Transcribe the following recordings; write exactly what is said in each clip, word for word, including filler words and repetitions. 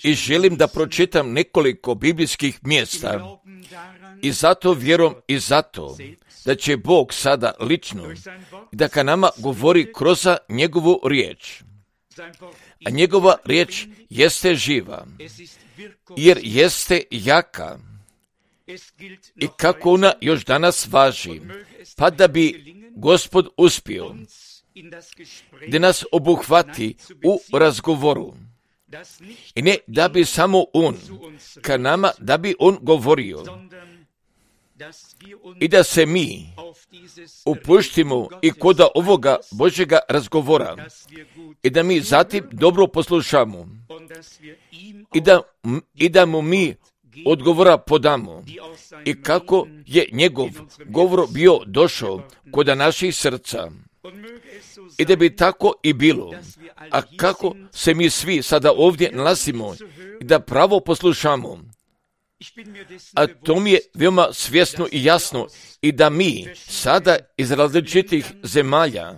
I želim da pročitam nekoliko biblijskih mjesta i zato vjerujem i zato da će Bog sada lično da ka nama govori kroz njegovu riječ. A njegova riječ jeste živa, jer jeste jaka. I kako ona još danas važi, pa da bi Gospod uspio da nas obuhvati u razgovoru. I ne da bi samo On ka nama, da bi On govorio. I da se mi upuštimo i kod ovoga Božjega razgovora. I da mi zatim dobro poslušamo. I da, i da mu mi odgovora podamo. I kako je njegov govor bio došao kod naših srca. I da bi tako i bilo. A kako se mi svi sada ovdje nalazimo i da pravo poslušamo. A to mi je veoma svjesno i jasno i da mi sada iz različitih zemalja,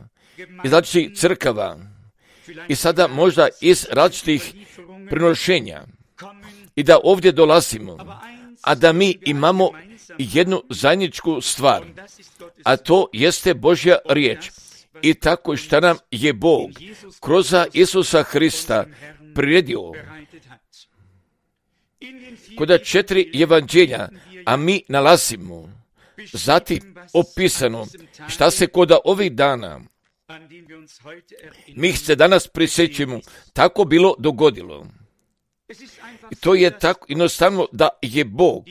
iz različitih crkava i sada možda iz različitih prinošenja i da ovdje dolazimo, a da mi imamo jednu zajedničku stvar, a to jeste Božja riječ. I tako što nam je Bog kroz Isusa Hrista priredio kod četiri evanđelja, a mi nalazimo zatim opisano šta se kod ovih dana, mi se danas prisjećamo, tako bilo dogodilo. I to je tako jednostavno da je Bog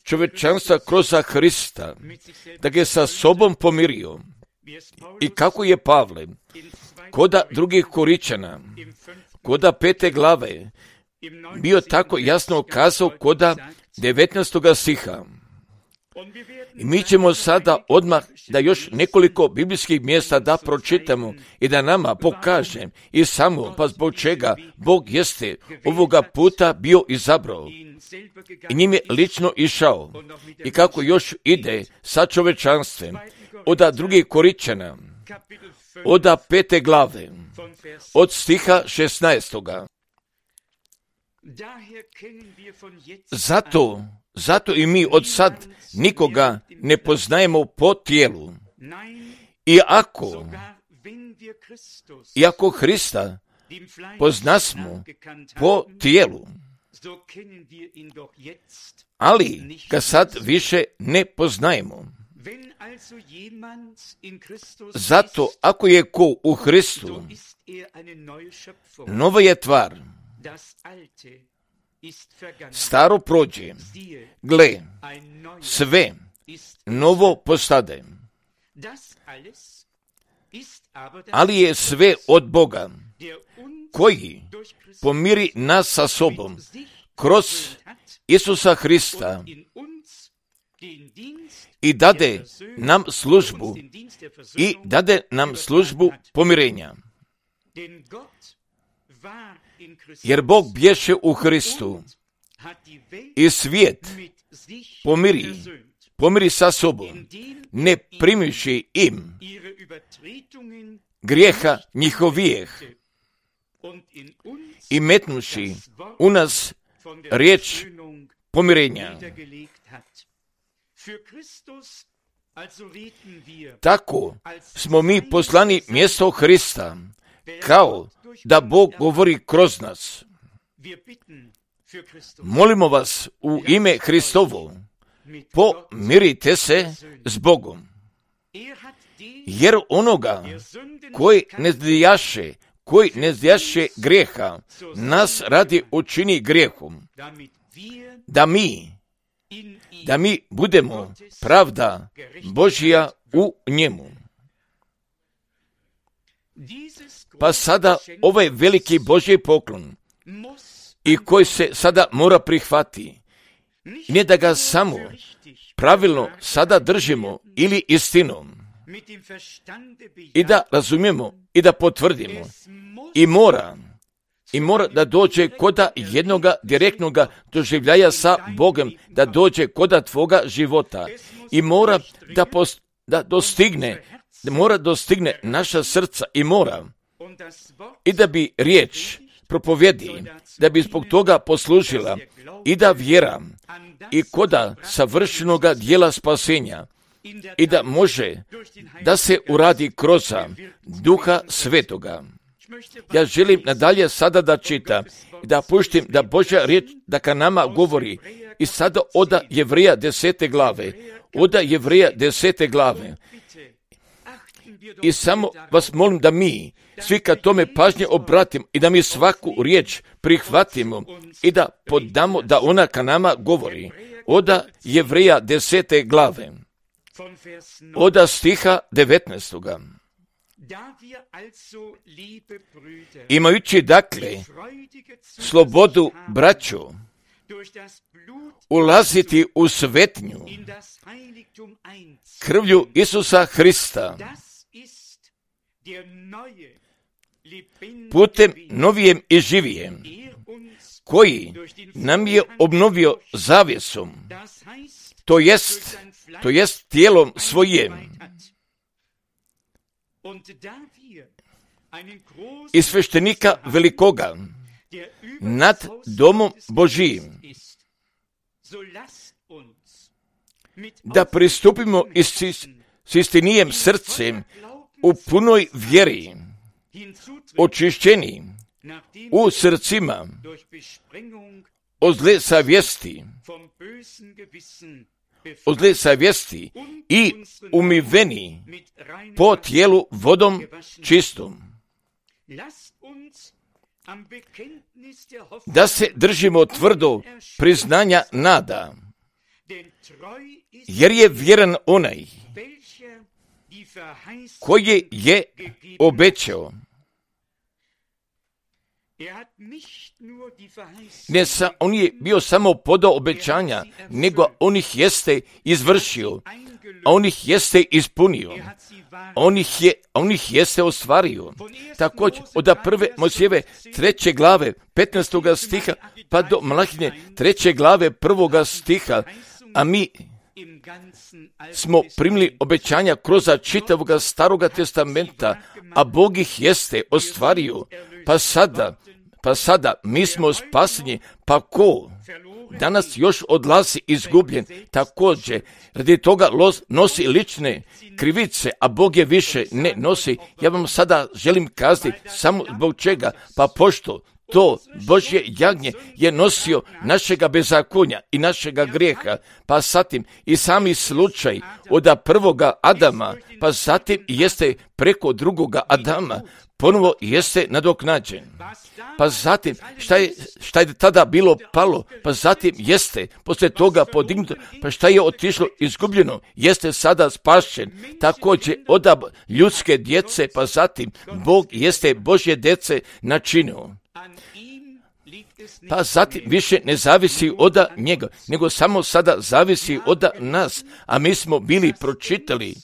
čovječanstva kroz Hrista, da ga je sa sobom pomirio. I kako je Pavle kod drugih Koričana, kod pete glave, bio tako jasno kazao kod devetnaestoga stiha. I mi ćemo sada odmah da još nekoliko biblijskih mjesta da pročitamo i da nama pokaže i samo pa zbog čega Bog jeste ovoga puta bio izabrao i njim je lično išao i kako još ide sa čovečanstvem od drugih Koričana, od pete glave, od stiha šesnaestoga. Zato, zato i mi od sad nikoga ne poznajemo po tijelu. I ako, i ako Hrista poznasmo po tijelu, ali ga sad više ne poznajemo. Zato ako je ko u Hristu, nova je tvar. Staro prođe, gle, sve novo postade. Ali je sve od Boga, koji pomiri nas sa sobom kroz Isusa Hrista i dade nam službu i dade nam službu pomirenja. Jer Bog bješe u Hristu i svijet pomiri, pomiri sa sobom, ne primiši im grijeha njihovijeh i metnuši u nas riječ pomirenja. Tako smo mi poslani mjesto Hrista, kao da Bog govori kroz nas. Molimo vas u ime Hristovo, pomirite se s Bogom. Jer onoga koji ne zdijaše, koji ne zdijaše grijeha, nas radi učini grijehom, da mi, da mi budemo pravda Božja u njemu. Pa sada ovaj veliki Božji poklon i koji se sada mora prihvati, ne da ga samo pravilno sada držimo ili istinom i da razumijemo i da potvrdimo i mora i mora da dođe koda jednoga direktnoga doživljaja sa Bogom, da dođe koda tvoga života i mora da, post, da dostigne da mora dostigne naša srca i mora i da bi riječ propovjedi, da bi zbog toga poslužila i da vjera i koda savršenoga dijela spasenja i da može da se uradi kroz Duha Svetoga. Ja želim nadalje sada da čitam i da puštim da Božja riječ da ka nama govori i sada oda Jevreja desete glave, oda Jevreja desete glave. I samo vas molim da mi svi kad tome pažnje obratimo i da mi svaku riječ prihvatimo i da podamo da ona ka nama govori. Oda Jevreja desete glave, oda stiha devetnaestoga. Imajući dakle slobodu, braćo, ulaziti u svetnju krvlju Isusa Hrista, putem novijem i živijem, koji nam je obnovio zavjesom, to jest, to jest tijelom svojim. I sveštenika velikoga nad domom Božijim, da pristupimo s istinijem srcem u punoj vjeri, očišćeni u srcima od zle savjesti, od zle savjesti i umiveni po tijelu vodom čistom. Da se držimo tvrdo priznanja nada, jer je vjeran onaj koji je obećao. Ne sa, on je bio samo podao obećanja, nego on ih jeste izvršio, a on ih jeste ispunio, on ih, je, on ih jeste ostvario. Također, od prve Mojsijeve treće glave, petnaestoga stiha, pa do Malahine treće glave, prvoga stiha, a mi smo primili obećanja kroz čitavoga Staroga testamenta, a Bog ih jeste ostvario, pa sada, pa sada mi smo spaseni, pa ko danas još odlazi izgubljen, također radi toga nosi lične krivice, a Bog je više ne nosi. Ja vam sada želim kazati samo zbog čega, pa pošto to Božje jagnje je nosio našega bezakonja i našega grijeha, pa zatim i sami slučaj od prvoga Adama, pa zatim jeste preko drugoga Adama, ponovo jeste nadoknađen. Pa zatim, šta je, šta je tada bilo palo, pa zatim jeste poslije toga podignuto, pa šta je otišlo izgubljeno, jeste sada spašen. Također od ljudske djece, pa zatim Bog jeste Božje djece načinio. Pa zatim više ne zavisi od njega, nego samo sada zavisi od nas, a mi smo bili pročitali.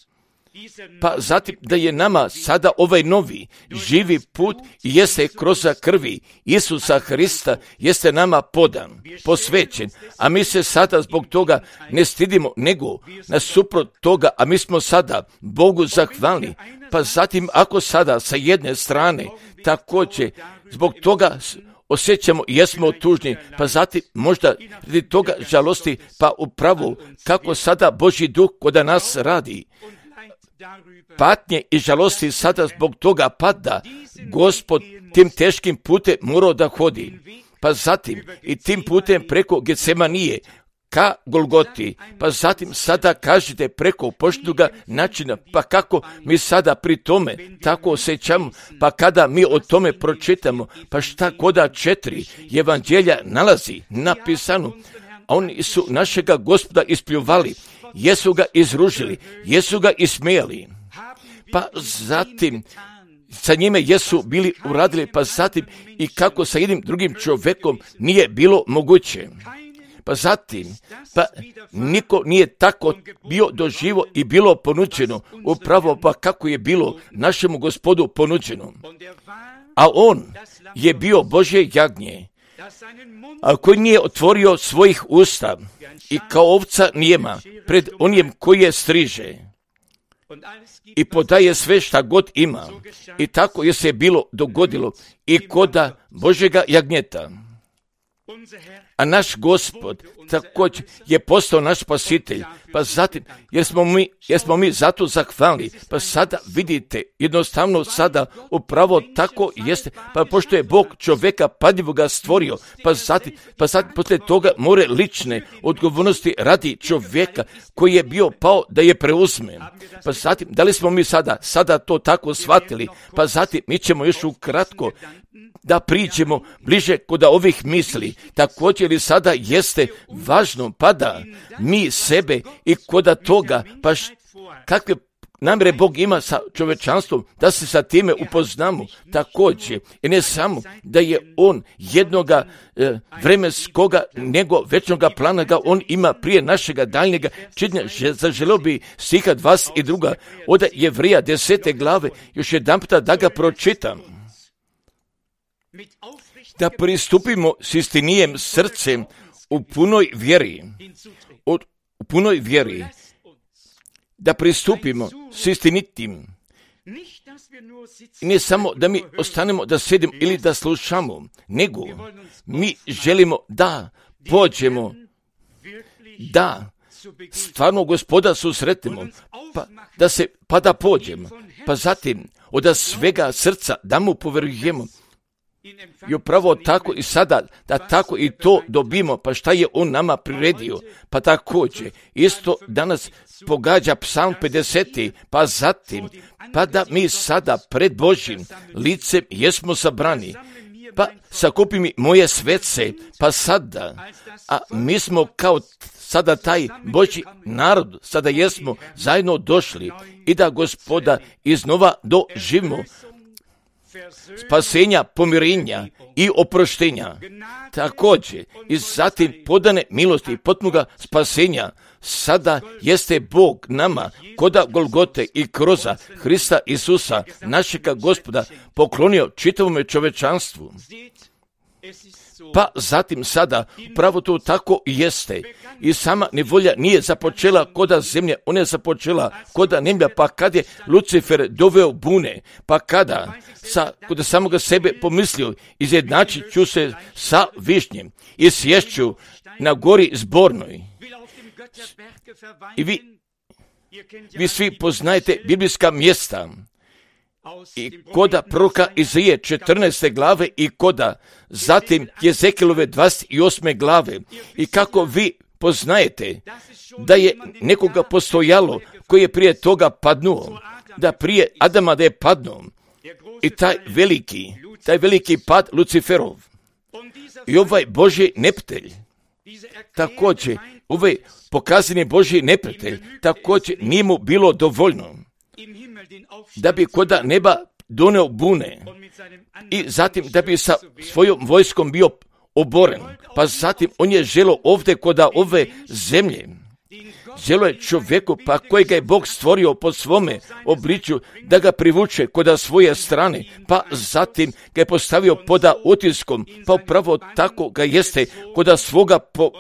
Pa zatim da je nama sada ovaj novi živi put jeste kroz krvi Isusa Hrista jeste nama podan, posvećen, a mi se sada zbog toga ne stidimo, nego nasuprot toga, a mi smo sada Bogu zahvalni. Pa zatim ako sada sa jedne strane također zbog toga osjećamo i jesmo tužni, pa zatim možda radi toga žalosti, pa upravo kako sada Božji duh kod nas radi. Patnje i žalosti sada zbog toga pada, Gospod tim teškim putem morao da hodi, pa zatim i tim putem preko Getsemanije ka Golgoti, pa zatim sada kažete preko poštenoga načina, pa kako mi sada pri tome tako osjećamo, pa kada mi o tome pročitamo, pa šta koda četiri evanđelja nalazi napisano, a oni su našega Gospoda ispljuvali, jesu ga izružili, jesu ga ismijali, pa zatim sa njime jesu bili uradili, pa zatim i kako sa jednim drugim čovjekom nije bilo moguće. Pa zatim, pa niko nije tako bio doživo i bilo ponuđeno, upravo pa kako je bilo našemu Gospodu ponuđeno. A on je bio Božje jagnje, a koji nije otvorio svojih usta i kao ovca nijema pred onim koji je striže. i podaje sve šta god ima. I tako je se bilo dogodilo i koda Božjega jagnjeta. A naš Gospod također je postao naš spasitelj, pa zatim, jer smo mi, jer smo mi zato zahvalni, pa sada vidite, jednostavno sada upravo tako jeste, pa pošto je Bog čovjeka padljivoga stvorio, pa zatim, pa zatim poslije toga more lične odgovornosti radi čovjeka koji je bio pao da je preuzme. Pa zatim, da li smo mi sada, sada to tako shvatili, pa zatim mi ćemo još ukratko da priđemo bliže kod ovih misli. Također i sada jeste važno, pa da mi sebe i koda toga, pa š, kakve namjere Bog ima sa čovječanstvom, da se sa time upoznamo također. I ne samo da je On jednoga e, vremenskoga, nego večnoga plana ga On ima prije našega daljnjega činjenja. Zaželio bi stiha dvadeset i druga od Jevrija desete glave, još jedan puta da ga pročitam. Da pristupimo s istinijem srcem u punoj vjeri, od, u punoj vjeri, da pristupimo s istinitim. I ne samo da mi ostanemo da sedimo ili da slušamo, nego mi želimo da pođemo, da stvarno Gospoda susretimo, pa da se, pa da pođemo, pa zatim od svega srca da mu poverujemo. I upravo tako i sada, da tako i to dobimo, pa šta je On nama priredio, pa također, isto danas pogađa Psalm pedeset, pa zatim, pa da mi sada pred Božjim licem jesmo sabrani, pa sakupi mi moje svece, pa sada, a mi smo kao sada taj Božji narod, sada jesmo zajedno došli i da Gospoda iznova doživimo spasenja, pomirenja i oproštenja. Također i zatim podane milosti i potpunoga spasenja. Sada jeste Bog nama koda Golgote i kroza Hrista Isusa, našega Gospoda, poklonio čitavome čovečanstvu. Pa zatim sada, pravo to tako i jeste. I sama nevolja nije započela koda zemlje, ona je započela koda nemlja, pa kad je Lucifer doveo bune, pa kada sa, kod samoga sebe pomislio, izjednačit ću se sa višnjem i sješću na gori zbornoj. I vi, vi svi poznajete biblijska mjesta. I koda proroka Izaije četrnaeste glave i koda zatim Jezekilove dvadeset osme glave i kako vi poznajete da je nekoga postojalo koji je prije toga padnuo, da prije Adama da je padnuo i taj veliki, taj veliki pad Luciferov i ovaj Božji neprijatelj, također ovaj pokazani Božji neprijatelj, također nije mu bilo dovoljno da bi koda neba doneo bune i zatim da bi sa svojom vojskom bio oboren. Pa zatim on je želio ovdje koda ove zemlje. Želio je čovjeku pa kojega je Bog stvorio po svome obličju da ga privuče koda svoje strane. Pa zatim ga je postavio poda utiskom. Pa upravo tako ga jeste koda svoga po,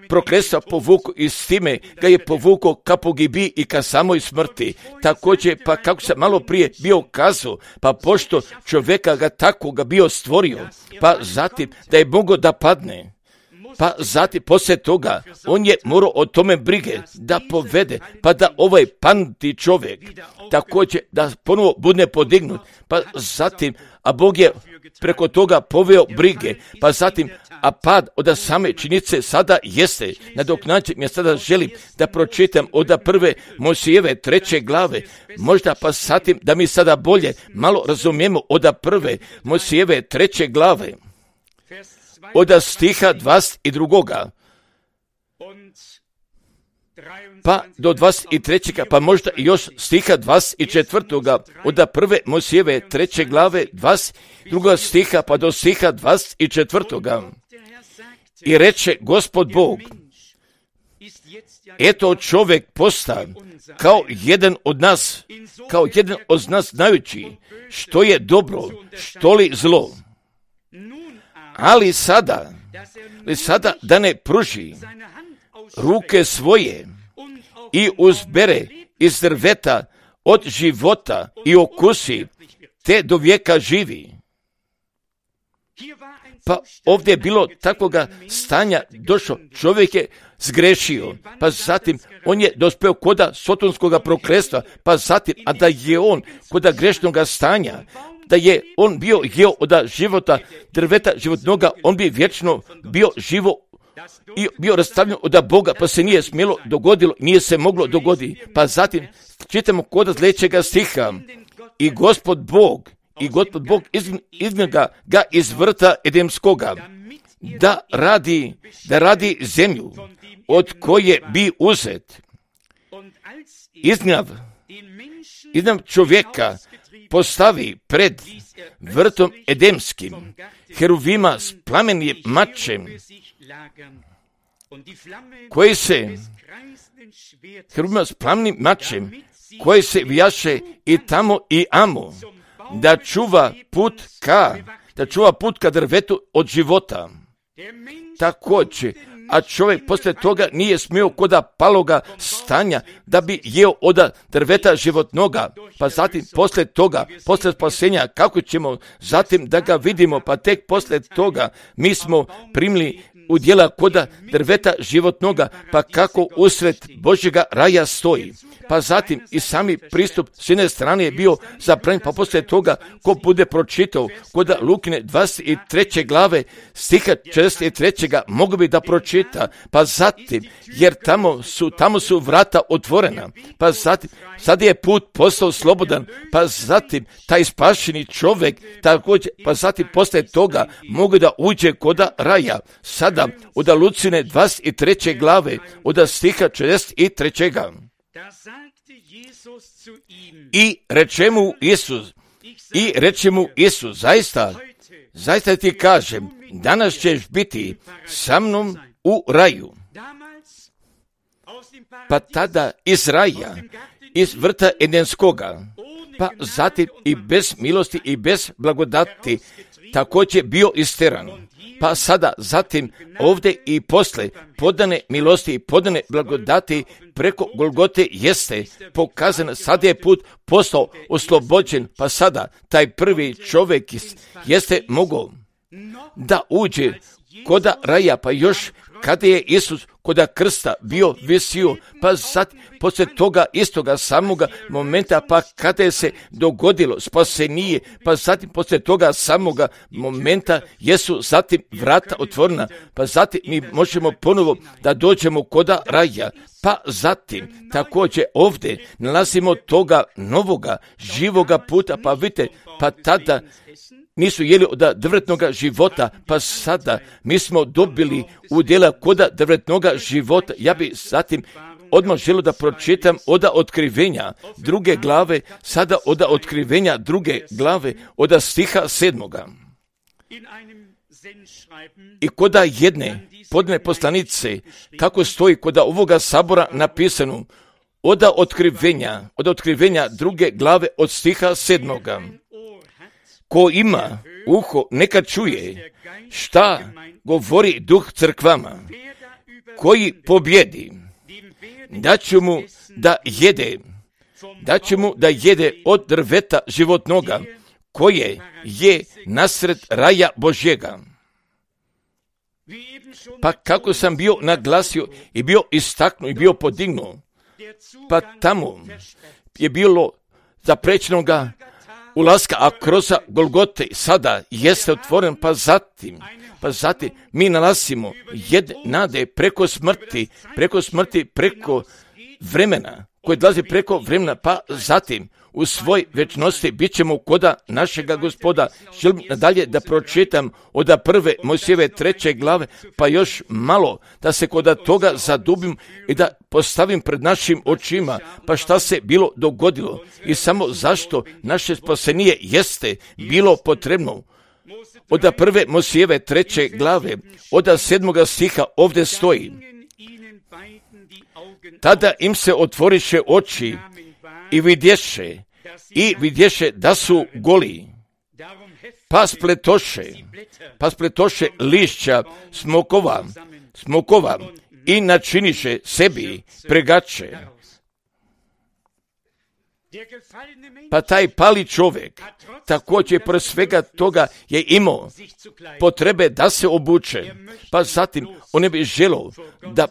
prokletstva povuku i s time ga je povukao ka pogibiji i ka samoj smrti. Također pa kako se malo prije bio kazao, pa pošto čovjeka ga tako ga bio stvorio, pa zatim da je mogao da padne. Pa zatim, poslije toga, on je morao o tome brige da povede, pa da ovaj panuti čovjek također da ponovo bude podignut, pa zatim, a Bog je preko toga poveo brige, pa zatim, a pad od same činjenice sada jeste, nadoknađen, ja sada želim da pročitam od prve Mojsijeve treće glave, možda pa zatim da mi sada bolje malo razumijemo od prve Mojsijeve treće glave. Od stiha dvadeset dva. Pa do dvadeset trećega. Pa možda još stiha dvadeset četvrtoga. Od prve Mojsijeve treće glave dvadeset druga stiha pa do stiha dvadeset četvrtoga. I reče Gospod Bog, eto čovjek posta kao jedan od nas, kao jedan od nas znajući što je dobro, što li zlo. Ali sada, li sada da ne pruži ruke svoje i uzbere iz drveta od života i okusi, te do vijeka živi. Pa ovdje je bilo takvoga stanja došlo, čovjek je zgrešio, pa zatim on je dospeo koda sotonskoga prokletstva, pa zatim, a da je on koda grešnoga stanja, da je on bio jeo od života drveta životnoga, on bi vječno bio živo i bio rastavljen od Boga, pa se nije smjelo dogodilo, nije se moglo dogoditi. Pa zatim čitamo kod sljedećega stiha, i Gospod Bog, i Gospod Bog iz, iz njega ga iz vrta Edemskoga, da radi, da radi zemlju, od koje bi uzet. Iznjav, iznjav čovjeka postavi pred vrtom Edemskim, heruvima s plamenim mačem, koji se, heruvima s plamenim mačem, koji se vijaše i tamo i amo, da čuva put ka, da čuva put ka drvetu od života. Također, a čovjek poslije toga nije smio koda paloga stanja da bi jeo od drveta životnoga, pa zatim poslije toga, poslije spasenja, kako ćemo zatim da ga vidimo, pa tek poslije toga mi smo primili udjela koda drveta životnoga, pa kako usred Božjega raja stoji. Pa zatim i sami pristup s jedne strane je bio zabranjen, pa poslije toga ko bude pročitao koda Lukine dvadeset treće glave stiha četrdeset trećeg mogu bi da pročita, pa zatim, jer tamo su, tamo su vrata otvorena, pa zatim, sad je put postao slobodan, pa zatim taj spašeni čovjek, također, pa zatim poslije toga mogu da uđe koda raja. Sada od Lucine dvadeset treće glave, od stiha četrdeset trećeg I reče mu Isus, i reče mu Isus, zaista, zaista ti kažem, danas ćeš biti sa mnom u raju. Pa tada iz raja, iz vrta Edenskoga, pa zatim i bez milosti i bez blagodati, također bio isteran. Pa sada zatim ovdje i posle podane milosti i podane blagodati preko Golgote jeste pokazano, sad je put postao oslobođen, pa sada taj prvi čovjek jeste mogao da uđe koda raja, pa još kada je Isus koda krsta bio visio, pa sad poslije toga istoga samoga momenta, pa kada je se dogodilo spasenije, pa zatim poslije toga samoga momenta jesu zatim vrata otvorena, pa zatim mi možemo ponovo da dođemo koda raja, pa zatim također ovdje nalazimo toga novoga živoga puta, pa vidite, pa tada nisu jeli od drvetnoga života, pa sada mi smo dobili udjela koda drvetnoga života. Ja bi zatim odmah želio da pročitam od otkrivenja druge glave, sada od otkrivenja druge glave, od stiha sedmoga. I koda jedne podne poslanice, kako stoji koda ovoga sabora napisano, od otkrivenja, od otkrivenja druge glave od stiha sedmoga. Ko ima uho, neka čuje šta govori duh crkvama. Koji pobjedi, daću mu da jede, daću mu da jede od drveta životnoga, koje je nasred raja Božjega. Pa kako sam bio naglasio i bio istaknuo i bio podignuo, pa tamo je bilo zaprečenoga ulaska, a kroz Golgote sada jeste otvoren, pa zatim, pa zatim mi nalazimo jedne nade preko smrti, preko smrti, preko vremena, koje dolazi preko vremena, pa zatim u svoj večnosti bit ćemo koda našega Gospoda. Želim nadalje da pročitam od prve Mojsijeve treće glave, pa još malo da se koda toga zadubim i da postavim pred našim očima, pa šta se bilo dogodilo i samo zašto naše spasenije jeste bilo potrebno. Od prve Mojsijeve treće glave, od sedmoga stiha ovdje stoji: tada im se otvoriše oči i vidješe, i vidješe da su goli, pa spletoše, pa spletoše lišća smokova, smokova i načiniše sebi pregače. Pa taj pali čovjek također pored svega toga je imao potrebe da se obuče. Pa zatim on ne bi želio da,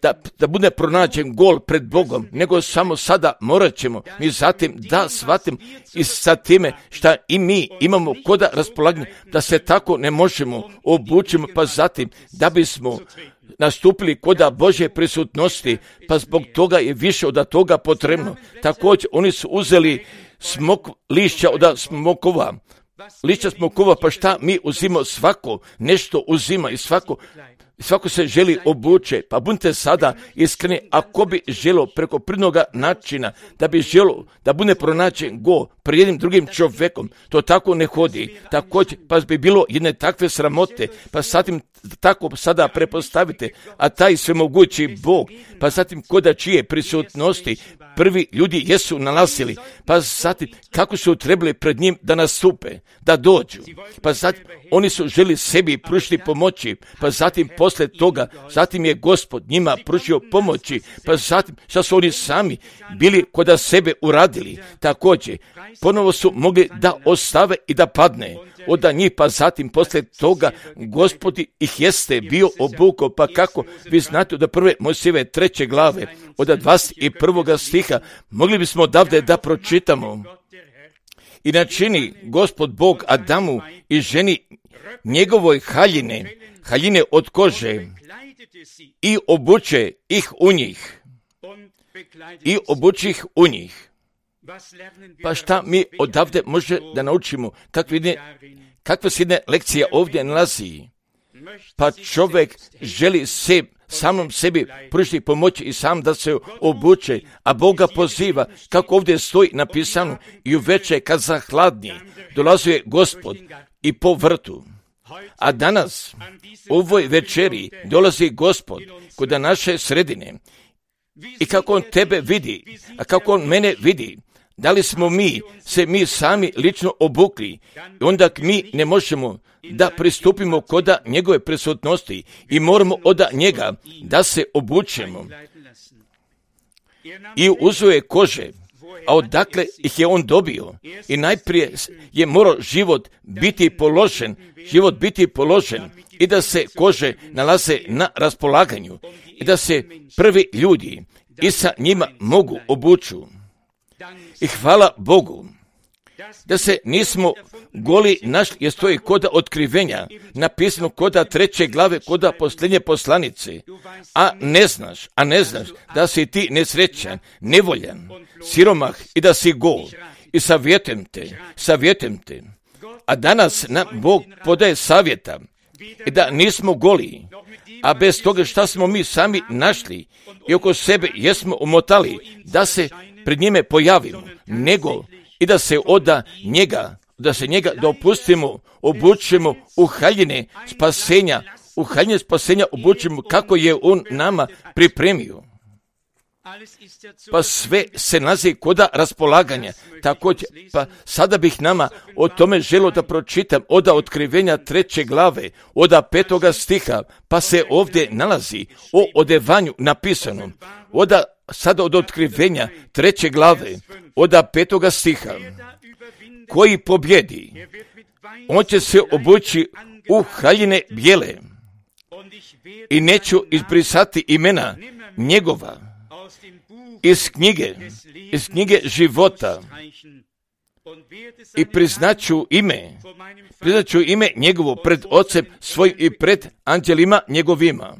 da, da bude pronađen gol pred Bogom, nego samo sada morat ćemo mi zatim da shvatim i sa time šta i mi imamo koda raspolaganja, da se tako ne možemo obučimo, pa zatim da bismo nastupili koda Božje prisutnosti, pa zbog toga je više od toga potrebno. Također oni su uzeli smok, lišća od smokova, lišća smokova, pa šta mi uzimo, svako nešto uzima i svako Svako se želi obuče, pa budite sada iskreni, ako bi želo preko pridnoga načina, da bi želo da bude pronađen go pred jednim drugim čovjekom, to tako ne hodi. Također, pa bi bilo jedne takve sramote, pa zatim tako sada prepostavite, a taj svemogući Bog, pa zatim koda čije prisutnosti prvi ljudi jesu nalazili, pa zatim kako su trebali pred njim da nastupe, da dođu, pa zatim oni su želi sebi pružiti pomoći, pa zatim posle toga, zatim je Gospod njima pružio pomoći, pa zatim šta su oni sami bili koda sebe uradili, također ponovo su mogli da ostave i da padne od njih, pa zatim posle toga Gospod ih jeste bio obukao, pa kako vi znate da prve Mojsijeve treće glave od dvadeset prvog stiha mogli bismo odavde da pročitamo. I načini Gospod Bog Adamu i ženi njegovoj haljine, haljine od kože i obuče ih u njih. I obuče ih u njih. Pa šta mi odavde može da naučimo? Kakve, kakva se jedna lekcija ovdje nalazi? Pa čovjek želi se samom sebi pružiti pomoći i sam da se obuče, a Boga poziva, kako ovdje stoji napisano, i uveče kad zahladni dolazio Gospod i po vrtu. A danas, u ovoj večeri, dolazi Gospod kod naše sredine. I kako on tebe vidi, a kako on mene vidi, da li smo mi se mi sami lično obukli, i onda mi ne možemo da pristupimo koda njegove prisutnosti i moramo od njega da se obučemo. I uzuje kože, a odakle ih je on dobio? I najprije je morao život biti položen, život biti položen i da se kože nalaze na raspolaganju i da se prvi ljudi i sa njima mogu obuču. I hvala Bogu da se nismo goli našli, jer stoji koda otkrivenja, napisano koda treće glave, koda posljednje poslanice, a ne znaš, a ne znaš da si ti nesrećan, nevoljan, siromah i da si gol. I savjetujem te, savjetujem te, a danas nam Bog podaje savjeta i da nismo goli, a bez toga šta smo mi sami našli i oko sebe jesmo umotali da se pred njime pojavimo, nego i da se oda njega, da se njega dopustimo, obučimo u haljine spasenja, u haljine spasenja obučimo kako je on nama pripremio. Pa sve se nalazi koda raspolaganja. Također, pa sada bih nama o tome želio da pročitam od otkrivenja treće glave, od petoga stiha, pa se ovdje nalazi o odevanju napisano. Od sada od otkrivenja treće glave, od petoga stiha, koji pobjedi, on će se obući u haljine bijele i neću izbrisati imena njegova iz knjige, iz knjige života i priznaću ime, priznaću ime njegovo pred Ocem svojim i pred anđelima njegovima.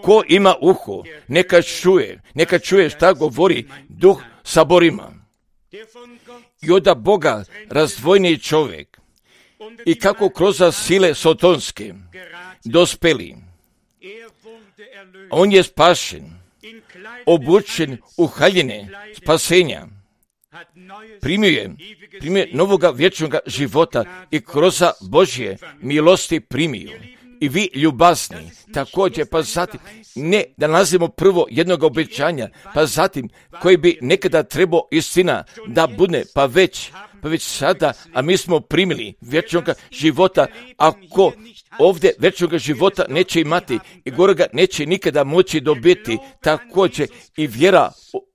Ko ima uho, neka čuje, neka čuje šta govori Duh saborima. I od Boga razdvojni čovjek i kako kroz sile sotonske dospeli, on je spašen, obučen u haljine spasenja, primio je, primio je novoga vječnoga života i kroz Božje milosti primio. I vi ljubazni, također, pa zatim, ne da nalazimo prvo jednog obećanja, pa zatim, koji bi nekada trebao istina da bude, pa već, pa već sada, a mi smo primili vječnog života. Ako ovdje vječnog života neće imati i gore ga neće nikada moći dobiti, također i vjera,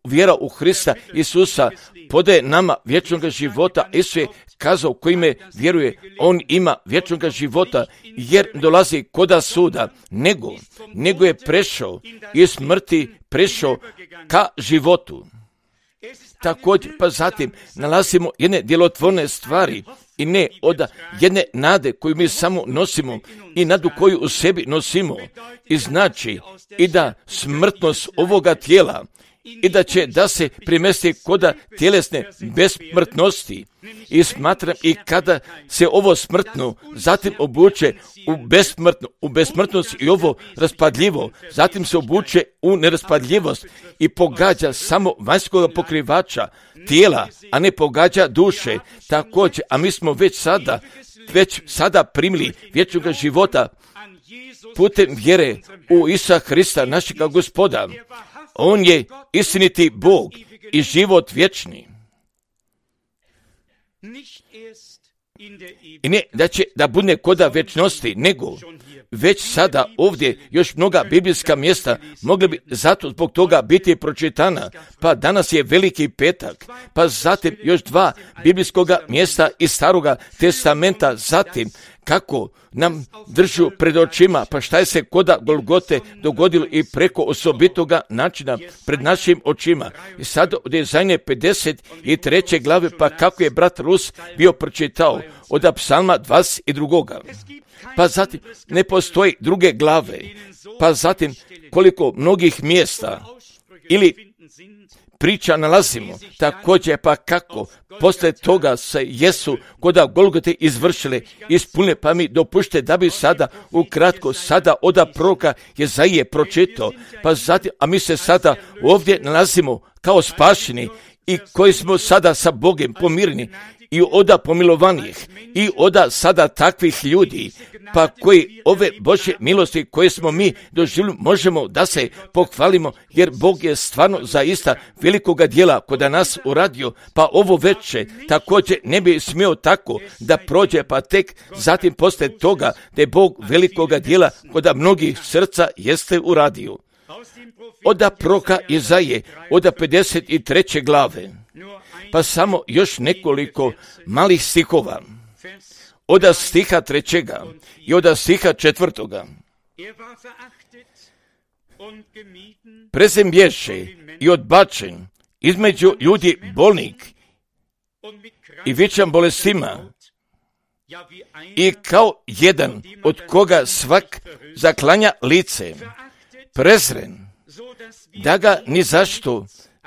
vjera u Hrista Isusa podaje nama vječnog života. Isus je kazao, ko ime vjeruje, on ima vječnog života, jer dolazi koda suda, nego, nego je prešao iz smrti, prešao ka životu. Također, pa zatim nalazimo jedne djelotvorne stvari i ne od jedne nade koju mi samo nosimo i nadu koju u sebi nosimo. I znači i da smrtnost ovoga tijela i da će da se primesti koda tjelesne besmrtnosti. I smatram i kada se ovo smrtno zatim obuče u besmrtno, u besmrtnost i ovo raspadljivo, zatim se obuče u neraspadljivost i pogađa samo vanjskog pokrivača tijela, a ne pogađa duše. Također, a mi smo već sada, već sada primili vječnog života putem vjere u Isusa Hrista, našega Gospoda. On je istiniti Bog i život vječni. I ne da će da bude koda vječnosti, nego već sada ovdje još mnoga biblijska mjesta mogli bi zato zbog toga biti pročitana. Pa danas je Veliki petak, pa zatim još dva biblijskoga mjesta iz Staroga testamenta, zatim kako nam držu pred očima, pa šta je se koda Golgote dogodilo i preko osobitoga načina pred našim očima. I sad od Jezajne pedeset treće glave, pa kako je brat Rus bio pročitao od Psalma dvadeset dva. Pa zatim ne postoji druge glave, pa zatim koliko mnogih mjesta ili priča nalazimo, također pa kako posle toga se jesu koda Golgote izvršile, ispunile, pa mi dopušte da bi sada ukratko sada oda proroka Jezaije pročitao, pa zatim, a mi se sada ovdje nalazimo kao spašeni i koji smo sada sa Bogom pomirni i oda pomilovanih i oda sada takvih ljudi, pa koji ove Božje milosti koje smo mi doživjeli možemo da se pohvalimo, jer Bog je stvarno zaista velikoga djela koda nas uradio, pa ovo veče također ne bi smio tako da prođe, pa tek zatim posle toga da je Bog velikoga djela koda mnogih srca jeste uradio. Oda proroka Jezaje, oda pedeset treće glave, pa samo još nekoliko malih stihova. Oda stiha trećega i oda stiha četvrtoga. Prezem bješe i odbačen između ljudi bolnik i vičan bolestima i kao jedan od koga svak zaklanja lice, prezren, da ga ni zašto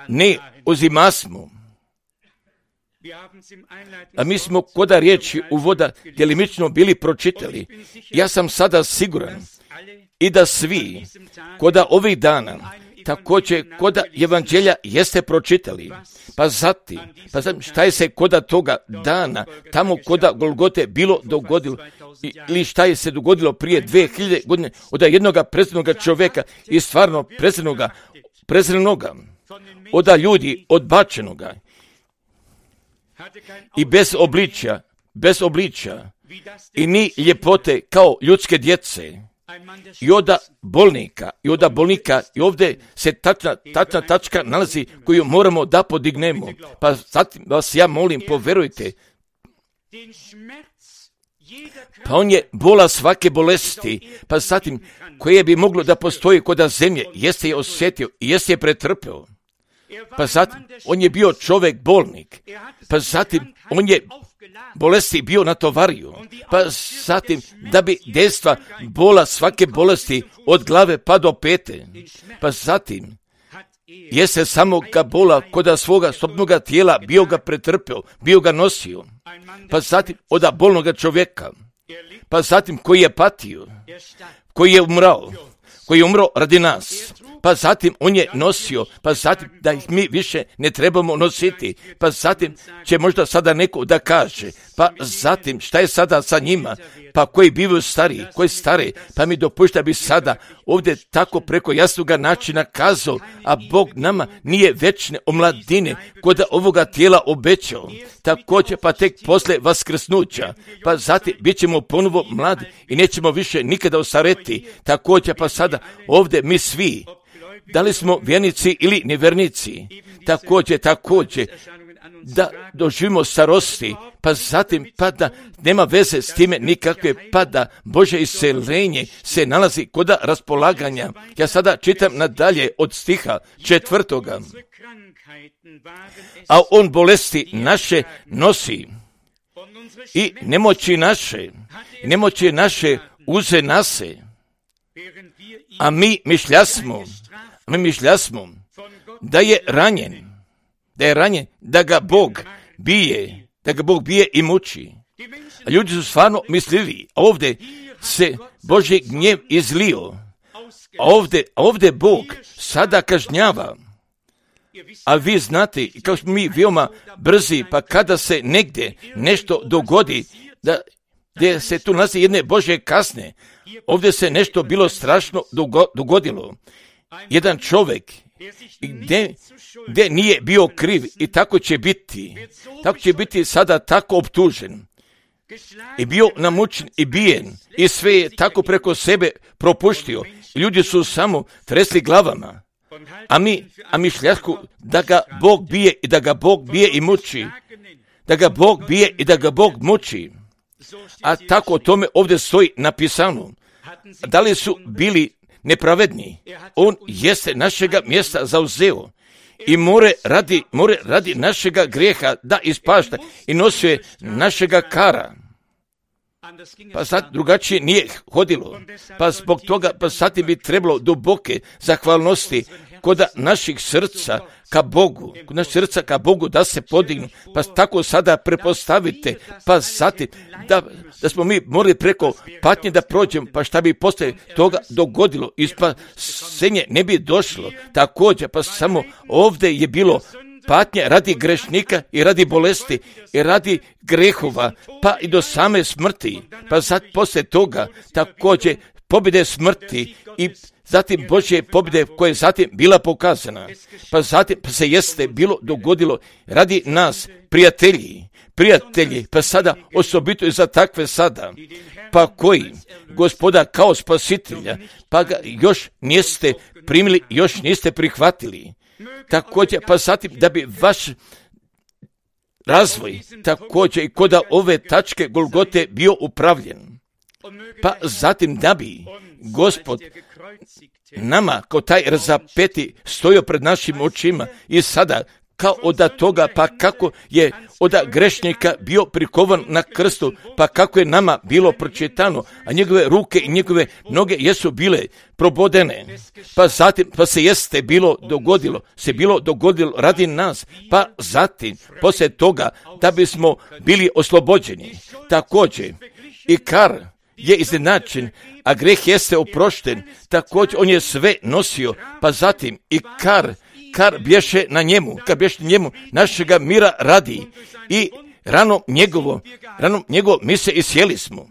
ne uzimasmo. A mi smo koda riječi uvoda djelimično bili pročitali. Ja sam sada siguran i da svi koda ovih dana također koda evanđelja jeste pročitali. Pa zatim, pa zatim šta je se koda toga dana tamo koda Golgote bilo dogodilo ili šta je se dogodilo prije dvije hiljade godine od jednoga prezrenoga čovjeka i stvarno prezrenoga, prezrenoga od ljudi odbačenoga i bez obličja, bez obličja i ni ljepote kao ljudske djece i oda bolnika, i oda bolnika i ovdje se tačna, tačna tačka nalazi koju moramo da podignemo. Pa zatim vas ja molim, poverujte, pa on je bola svake bolesti, pa zatim koje bi moglo da postoji koda zemlje, jeste je osjetio i jeste je pretrpeo. Pa zatim, on je bio čovjek bolnik, pa zatim, on je bolesti bio natovario, pa zatim, da bi dejstva bola svake bolesti od glave pa do pete, pa zatim, jeste samo ga bola koda svoga sobnoga tijela bio ga pretrpeo, bio ga nosio, pa zatim, oda bolnoga čovjeka, pa zatim, koji je patio, koji je umrao, koji je umro radi nas, pa zatim on je nosio, pa zatim da ih mi više ne trebamo nositi, pa zatim će možda sada neko da kaže, pa zatim šta je sada sa njima, pa koji bivaju stariji, koji stare, pa mi dopušta bi sada ovdje tako preko jasnoga načina kazao, a Bog nama nije večne omladine kod ovoga tijela obećao, također pa tek posle vaskrsnuća, pa zatim bit ćemo ponovo mladi i nećemo više nikada ostareti, također pa sada ovdje mi svi, da li smo vjernici ili nevjernici, također, također, da doživimo starosti, pa zatim pa da nema veze s time nikakve, pa da Bože isceljenje se nalazi kod raspolaganja. Ja sada čitam nadalje od stiha četvrtoga. A on bolesti naše nosi i nemoći naše, nemoći naše uze nase, a mi mišljasmo, mi mišljasmo da je ranjen, da je ranjen, da ga Bog bije, da ga Bog bije i muči. A ljudi su stvarno mislili, ovdje se Božji gnjev izlio, a ovdje, ovdje Bog sada kažnjava. A vi znate, kao smo mi veoma brzi, pa kada se negdje nešto dogodi, da gdje se tu nalazi jedne Božje kazne, ovdje se nešto bilo strašno dogodilo. Jedan čovjek gdje, gdje nije bio kriv i tako će biti, tako će biti sada tako optužen. I bio namučen i bijen i sve je tako preko sebe propuštio. Ljudi su samo tresli glavama. A mi, a mi šljasku da ga Bog bije i da ga Bog bije i muči. Da ga Bog bije i da ga Bog muči. A tako o tome ovdje stoji napisano. Da li su bili nepravedni? On jeste našega mjesta zauzeo i more radi, more radi našega grijeha da ispašta i nosio je našega kara. Pa sad drugačije nije hodilo. Pa zbog toga, pa sad bi trebalo duboke zahvalnosti kod naših srca ka Bogu, kod naših srca ka Bogu da se podignu. Pa tako sada prepostavite, pa zatim da, da smo mi morali preko patnje da prođemo, pa šta bi posle toga dogodilo, i spasenje ne bi došlo. Također, pa samo ovdje je bilo patnje radi grešnika i radi bolesti i radi grehova, pa i do same smrti. Pa sad poslije toga također pobjede smrti i zatim Božje pobjede koje je zatim bila pokazana. Pa zatim pa se jeste bilo dogodilo radi nas, prijatelji, prijatelji, pa sada osobito i za takve sada, pa koji Gospoda kao spasitelja, pa ga još niste primili, još niste prihvatili. Također, pa zatim da bi vaš razvoj također i kod ove tačke Golgote bio upravljen. Pa zatim da bi Gospod nama kao taj razapeti stojio pred našim očima i sada kao od toga, pa kako je od grešnika bio prikovan na krstu, pa kako je nama bilo pročitano, a njegove ruke i njegove noge jesu bile probodene. Pa zatim, pa se jeste bilo dogodilo, se bilo dogodilo radi nas, pa zatim, poslije toga, da bismo bili oslobođeni. Također, i kar je iznenačen, a greh jeste oprošten, također on je sve nosio, pa zatim i kar, kar bješe na njemu, kad bješe na njemu našega mira radi i rano njegovo, rano njegovo mi se isjeli smo.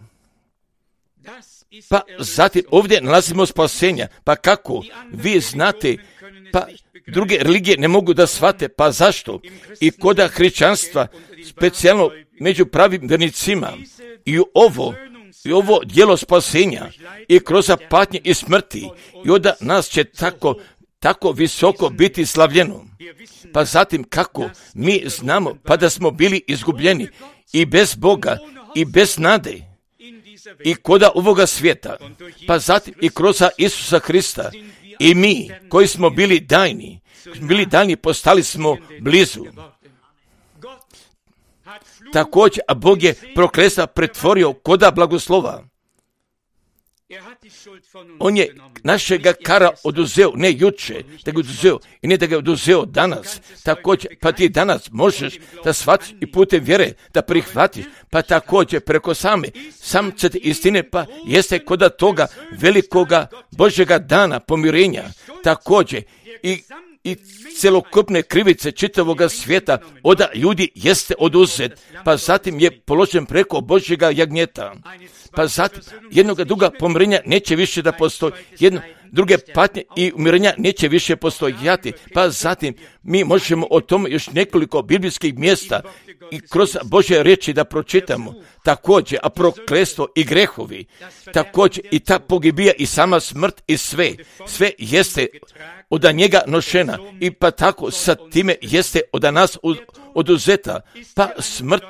Pa zatim ovdje nalazimo spasenja, pa kako vi znate, pa druge religije ne mogu da shvate, pa zašto? I koda hrišćanstva, specijalno među pravim vjernicima, i ovo, i ovo djelo spasenja, i kroz patnje i smrti, i onda nas će tako, tako visoko biti slavljeno. Pa zatim kako mi znamo, pa da smo bili izgubljeni i bez Boga i bez nade i koda ovoga svijeta, pa zatim i kroz Isusa Hrista i mi koji smo bili dajni, bili dajni postali smo blizu. Također, a Bog je prokletstva pretvorio koda blagoslova. On je našega kara oduzeo, ne juče, da ga oduzeo i ne da ga oduzeo danas. Također, pa ti danas možeš da shvatiš i putem vjere da prihvatiš, pa također preko same samcete istine, pa jeste kod toga velikoga Božjega dana pomirenja. Također i i celokupne krivice čitavoga svijeta od ljudi jeste oduzet, pa zatim je položen preko Božjega jagnjeta. Pa zatim jednoga druga pomirenja neće više da postoji, jedno druge patnje i umirenja neće više postojati, pa zatim mi možemo o tome još nekoliko biblijskih mjesta i kroz Božje riječi da pročitamo. Također, a prokletstvo i grehovi, također i ta pogibija i sama smrt i sve, sve jeste od njega nošena i pa tako sa time jeste od nas oduzeta, pa smrt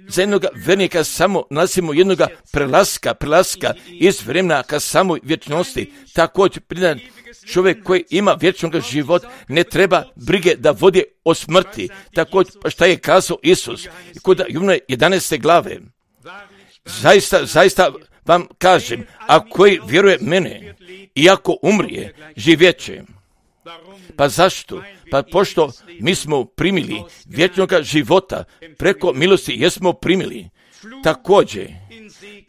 za jednog vernika samo nalazimo jednoga prelaska, prelaska iz vremena ka samoj vječnosti. Također pridan čovjek koji ima vječnog života ne treba brige da vodi o smrti. Također šta je kazao Isus kod Jovana jedanaeste glave. Zaista, zaista vam kažem, a koji vjeruje mene, iako umrije, živjeće. Pa zašto? Pa pošto mi smo primili vječnog života, preko milosti jesmo primili. Također,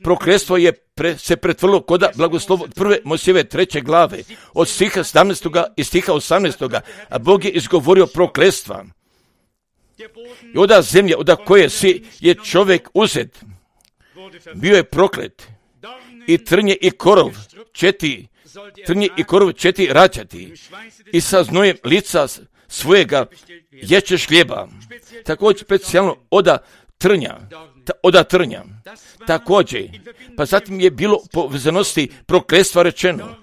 prokletstvo je pre, se pretvorilo kod blagoslovo prve Mojsijeve treće glave, od stiha sedamnaestog i stiha osamnaestog a Bog je izgovorio prokletstva. I oda zemlja, oda koje si je čovjek uzet, bio je proklet. I trnje i korov, četiri, trnje i korov četiri rađati. I sa znojem lica svojega ječeš hljeba. Također specijalno oda trnja, ta, oda trnja. Također, pa zatim je bilo po vezanosti prokletstva rečeno.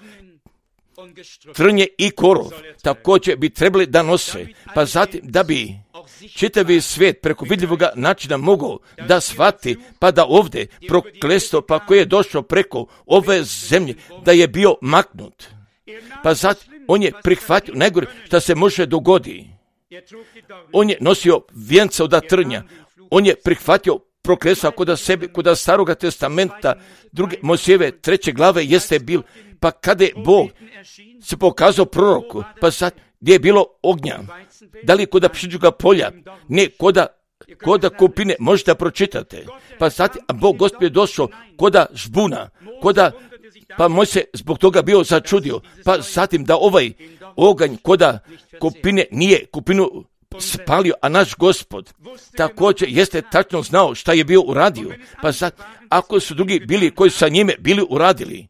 Trnje i korov također bi trebali da nose, pa zatim da bi čitavi svijet preko vidljivog načina mogao da shvati, pa da ovdje prokletstvo pa koje je došlo preko ove zemlje, da je bio maknut. Pa zatim on je prihvatio najgore što se može dogodi. On je nosio vijenca od trnja, on je prihvatio prokletstva kod sebe, kod Staroga testamenta, druge Mojsijeve treće glave jeste bil, pa kada je Bog se pokazao proroku, pa sad gdje je bilo ognja, da li kod pšeničnog polja, ne kod koda kupine, možete pročitate, pa sad Bog Gospod je došao koda žbuna, koda, pa moj se zbog toga bio začudio, pa zatim da ovaj oganj koda kupine nije kupinu spalio, a naš Gospod također jeste tačno znao šta je bio uradio, pa sad ako su drugi bili koji sa njime bili uradili,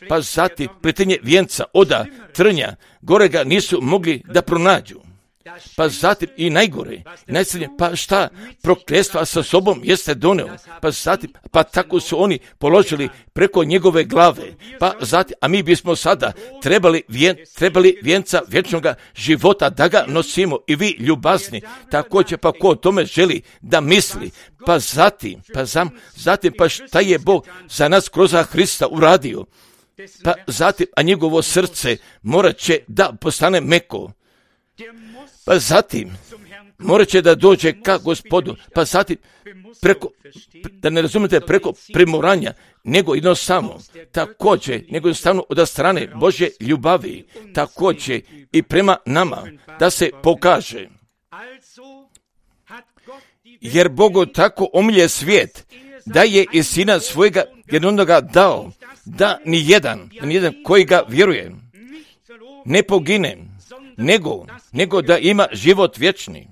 pa zatim pletenje vijenca oda trnja, gore ga nisu mogli da pronađu. Pa zatim i najgore, najsrednje, pa šta prokletstva sa sobom jeste doneo, pa zatim, pa tako su oni položili preko njegove glave, pa zatim, a mi bismo sada trebali, vijen, trebali vijenca vječnog života da ga nosimo i vi ljubazni, također pa ko o tome želi da misli, pa zatim, pa zam, zatim, pa šta je Bog za nas kroz Hrista uradio, pa zatim, a njegovo srce morat će da postane meko, pa zatim morat će da dođe ka Gospodu, pa zatim preko, da ne razumete, preko primoranja, nego jednostavno, također, nego jednostavno od strane Božje ljubavi, također i prema nama, da se pokaže. Jer Bogu tako omilje svijet, da je i sina svojega jednoga dao, da ni jedan, ni jedan koji ga vjeruje, ne pogine, nego, nego da ima život vječni.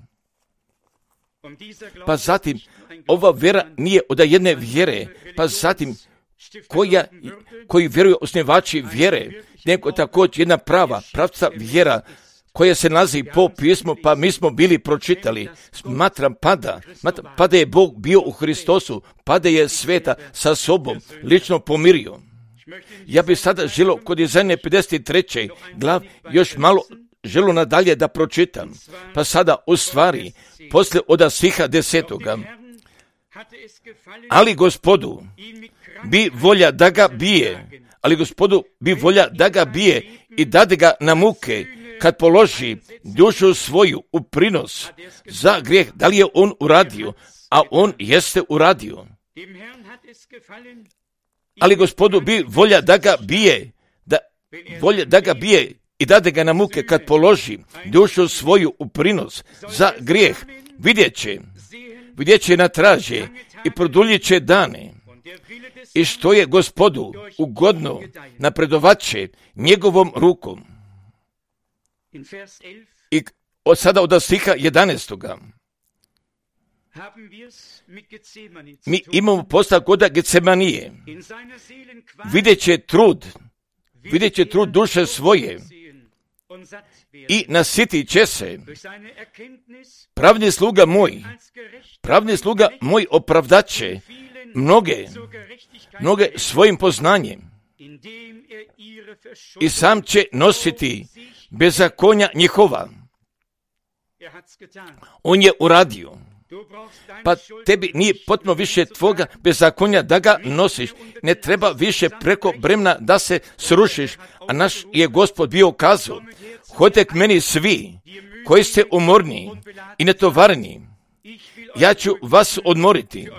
Pa zatim, ova vjera nije od jedne vjere, pa zatim, koja, koji vjeruju osnivači vjere, nego također jedna prava, pravca vjera, koja se nalazi po pismu, pa mi smo bili pročitali, smatram pada, smatram, pada je Bog bio u Hristosu, pada je sveta sa sobom, lično pomirio. Ja bih sada želio kod Izaije pedeset treće glav još malo želo nadalje da pročitam, pa sada u stvari, poslije od stiha desetoga, ali Gospodu bi volja da ga bije, ali Gospodu bi volja da ga bije i dade ga na muke, kad položi dušu svoju u prinos za grijeh, da li je on uradio, a on jeste uradio. ali Gospodu bi volja da ga bije, da, volja da ga bije i dade ga na muke kad položi dušu svoju u prinos za grijeh. Vidjet će, vidjet će na traže i produljit će dane. I što je Gospodu ugodno, napredovat će njegovom rukom. I od sada od stiha jedanaestoga mi imamo posla koda Getsemanije. Vidjet će trud, vidjet će trud duše svoje i nasitit će se. Pravni sluga moj, pravni sluga moj opravdat će mnoge, mnoge svojim poznanjem i sam će nositi bezakonja njihova. On je uradio. Pa tebi nije potrebno više tvoga bezakonja da ga nosiš. Ne treba više preko bremena da se srušiš. A naš je Gospod bio kazao: hodite k meni svi koji ste umorni i netovarni. Ja ću vas odmoriti.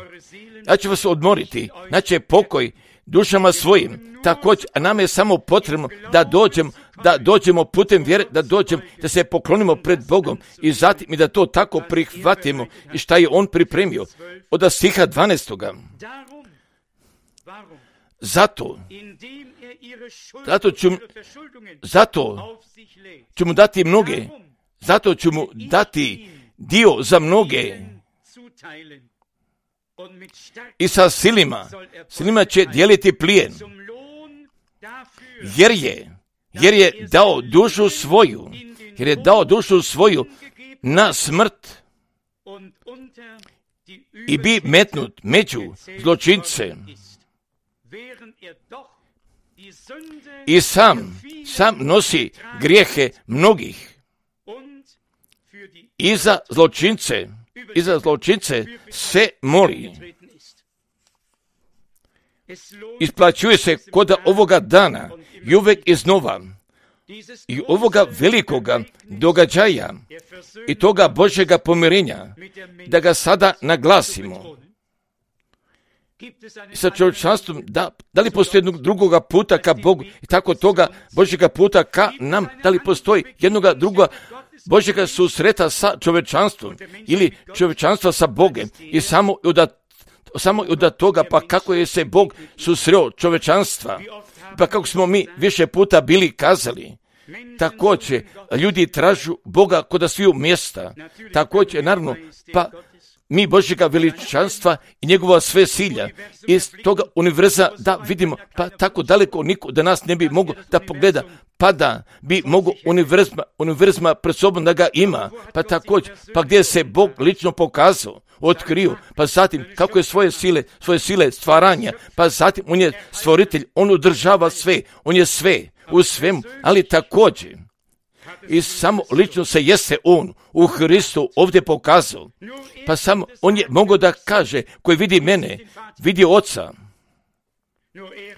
Ja ću vas odmoriti. Znači pokoj dušama svojim. Također, a nam je samo potrebno da dođemo, da dođemo putem vjere, da dođemo, da se poklonimo pred Bogom i zatim i da to tako prihvatimo i šta je On pripremio. Od stiha dvanaestoga. Zato, zato ću, zato ću mu dati mnoge, zato ću mu dati dio za mnoge. I sa silima, silima će dijeliti plijen, jer je, jer je dao dušu svoju, jer je dao dušu svoju na smrt i bi metnut među zločince. I sam, sam nosi grijehe mnogih. I za zločince, i za zločince se moli. Isplaćuje se kod ovoga dana i uvek iznova i ovoga velikoga događaja i toga Božjega pomirenja, da ga sada naglasimo. I sa čovječanstvom, da, da li postoji jednog drugoga puta ka Bogu i tako toga Božjega puta ka nam, da li postoji jednoga drugoga Božjega susreta sa čovječanstvom ili čovječanstva sa Bogom i samo od, samo od toga pa kako je se Bog susreo čovječanstva, pa kako smo mi više puta bili kazali. Također, ljudi tražu Boga kod sviju mjesta. Također, naravno, pa mi Božjega veličanstva i njegova sve silja. Iz toga univerza da vidimo, pa tako daleko niko da nas ne bi mogao da pogleda, pa da bi mogo univerzma, univerzma pred sobom da ga ima, pa također, pa gdje se Bog lično pokazao, otkrio, pa zatim kako je svoje sile, svoje sile stvaranja, pa zatim on je stvoritelj, on održava sve, on je sve, u svemu, ali također, i samo lično se jeste on u Hristu ovdje pokazao. Pa samo on je mogao da kaže, koji vidi mene, vidi Oca.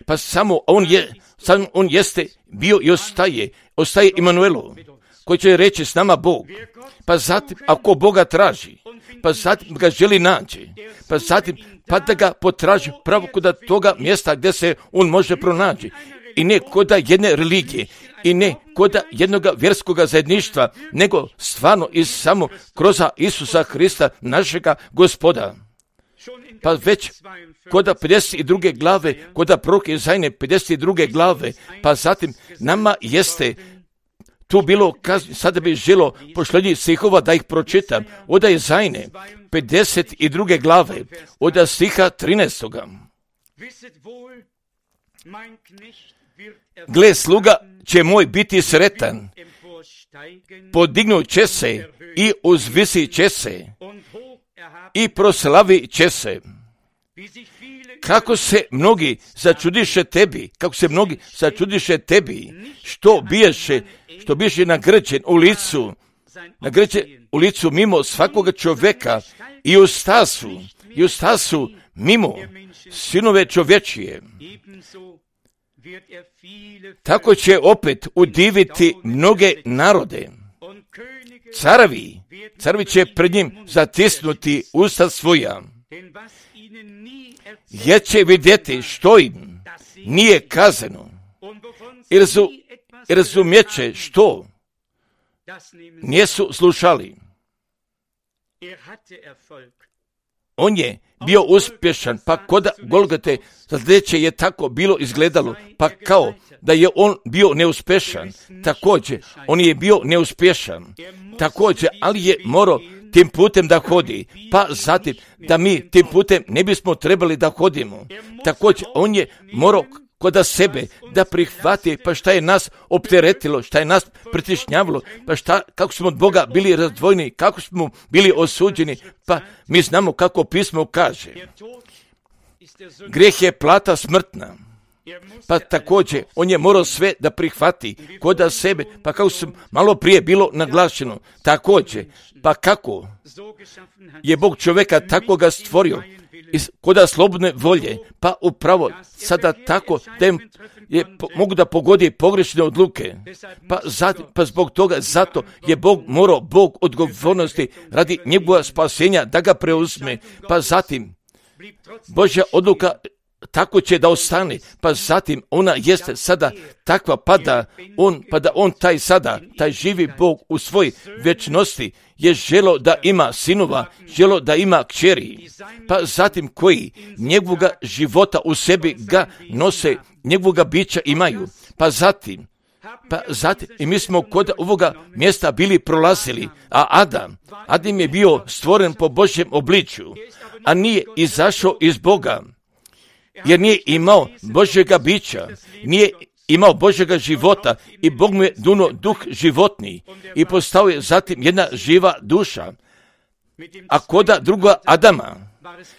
Pa samo on je, samo on jeste bio i ostaje, ostaje Imanuelu, koji će reći s nama Bog. Pa zatim, ako Boga traži, pa zatim ga želi naći, pa zatim pa da ga potraži pravo kod toga mjesta gdje se on može pronaći. I ne kod jedne religije, i ne kod jednog vjerskog zajedništva, nego stvarno i samo kroz Isusa Hrista, našega Gospoda. Pa već kod pedeset druge glave, kod proroka Izajne pedeset druge glave, pa zatim nama jeste tu bilo, sada bi želo pošlednjih stihova da ih pročitam, od Izajne pedeset druge glave, od stiha trinaestoga. Gle, sluga će moj biti sretan, podignut će se i uzvisit će se i proslavit će se. Kako se mnogi začudiše tebi, kako se mnogi začudiše tebi, što biješe, što biješe nagrđen u licu, nagrđen u licu mimo svakoga čovjeka i u stasu, i u stasu mimo sinove čovječije. Tako će opet udiviti mnoge narode. Carevi, carevi će pred njim zatisnuti usta svoja, jer će vidjeti što im nije kazano. I razu, razumjeće što nisu slušali. On je bio uspješan, pa kod Golgote sljedeće je tako bilo izgledalo, pa kao da je on bio neuspješan. Također, on je bio neuspješan. Također, ali je morao tim putem da hodi, pa zatim da mi tim putem ne bismo trebali da hodimo. Također, on je morao kod sebe da prihvati, pa šta je nas opteretilo, šta je nas pritišnjavalo, pa šta, kako smo od Boga bili razdvojeni, kako smo bili osuđeni, pa mi znamo kako pismo kaže. Grijeh je plata smrtna. Pa također, on je morao sve da prihvati kod sebe, pa kako sam malo prije bilo naglašeno, također, pa kako je Bog čovjeka tako ga stvorio, kod slobodne volje, pa upravo sada tako da je, mogu da pogodi pogrešne odluke, pa, zat, pa zbog toga, zato je Bog morao, Bog odgovornosti radi njegova spasenja da ga preuzme, pa zatim Božja odluka tako će da ostane, pa zatim ona jeste sada takva, pa da on, pa da on taj sada, taj živi Bog u svoj vječnosti je želo da ima sinova, želo da ima kćeri, pa zatim koji njegovoga života u sebi ga nose, njegovoga bića imaju, pa zatim, pa zatim, i mi smo kod ovoga mjesta bili prolazili, a Adam, Adam je bio stvoren po Božjem obličju, a nije izašao iz Boga, jer nije imao Božjega bića, nije imao Božjega života i Bog mu je duno duh životni i postao je zatim jedna živa duša. A koda druga Adama,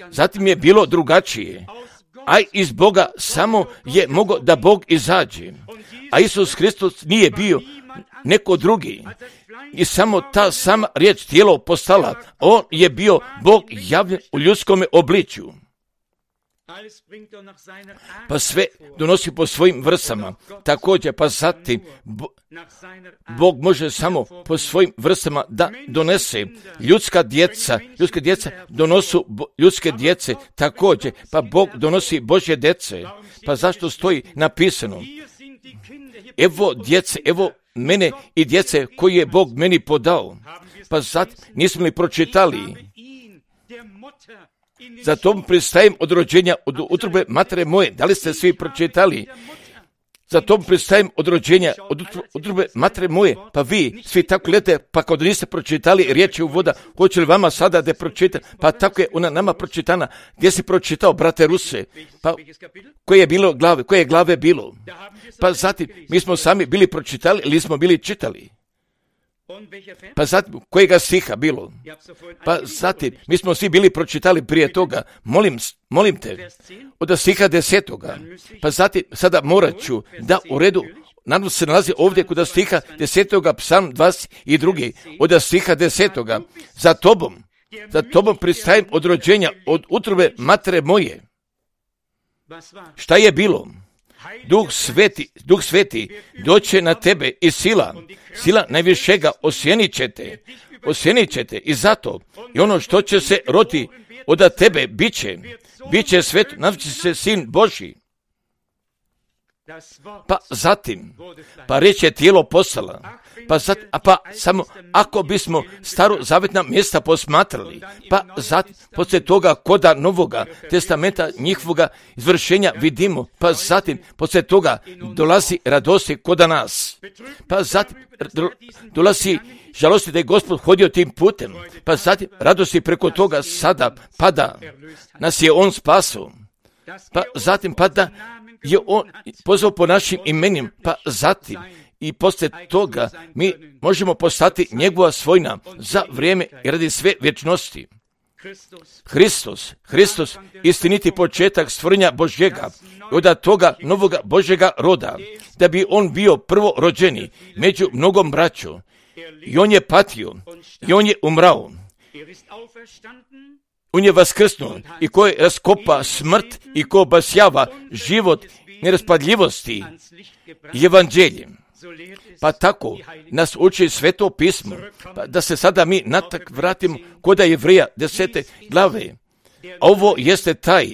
zatim je bilo drugačije, a iz Boga samo je mogao da Bog izađe, a Isus Hristos nije bio neko drugi i samo ta sama riječ tijelo postala, on je bio Bog javljen u ljudskom obličju. Pa sve donosi po svojim vrstama. Također, pa zatim Bog može samo po svojim vrstama da donese ljudska djeca. Ljudske djeca donosu ljudske djece. Također, pa Bog donosi Božje djece. Pa zašto stoji napisano? Evo djece, evo mene i djece koje je Bog meni podao. Pa zatim nismo li pročitali? Zato pristajem od rođenja, od utrobe matere moje. Da li ste svi pročitali? Zato pristajem od rođenja, od utrobe matere moje. Pa vi svi tako gledate, pa kao da niste pročitali riječi u voda, hoće li vama sada da pročitam? Pa tako je ona nama pročitana. Gdje si pročitao, brate Ruse? Pa koje je bilo glave? Koje je glave bilo? Pa zatim, mi smo sami bili pročitali ili smo bili čitali? Pa zatim, kojega stiha bilo? Pa zatim, mi smo svi bili pročitali prije toga, molim, molim te, od stiha desetoga. Pa zatim, sada morat ću da u redu, nadam se nalazi ovdje kod stiha desetoga, psalm dvadeset dva, od stiha desetoga. Za tobom, za tobom pristajem od rođenja, od utrobe matere moje. Šta je bilo? Duh sveti, duh sveti doće na tebe i sila, sila najvišega osjenit će te, osjenit će te i zato i ono što će se roti od tebe bit će, bit će svet, nazvat se sin Božji. Pa zatim, pa reč je tijelo postala, pa zatim, a pa samo ako bismo staro zavjetna mjesta posmatrali, pa zatim, poslije toga koda Novoga testamenta njihovoga izvršenja vidimo, pa zatim, poslije toga dolazi radosti koda nas, pa zatim, dolazi žalosti da je Gospod hodio tim putem, pa zatim, radosti preko toga sada pada, nas je On spasao, pa zatim pada, je on pozvao po našim imenim, pa zatim i poslije toga mi možemo postati njegova svojina za vrijeme i radi sve vječnosti. Hristos, Hristos, istiniti početak stvorenja Božjega i od toga novoga Božjega roda, da bi on bio prvo rođeni među mnogom braćom. I on je patio, i on je umrao. On je vaskrsnuo i koji raskopa smrt i ko obasjava život neraspadljivosti i evanđeljem. Pa tako nas uči Sveto pismo, pa da se sada mi natak vratimo kod Jevreja desete glave. ovo jeste taj,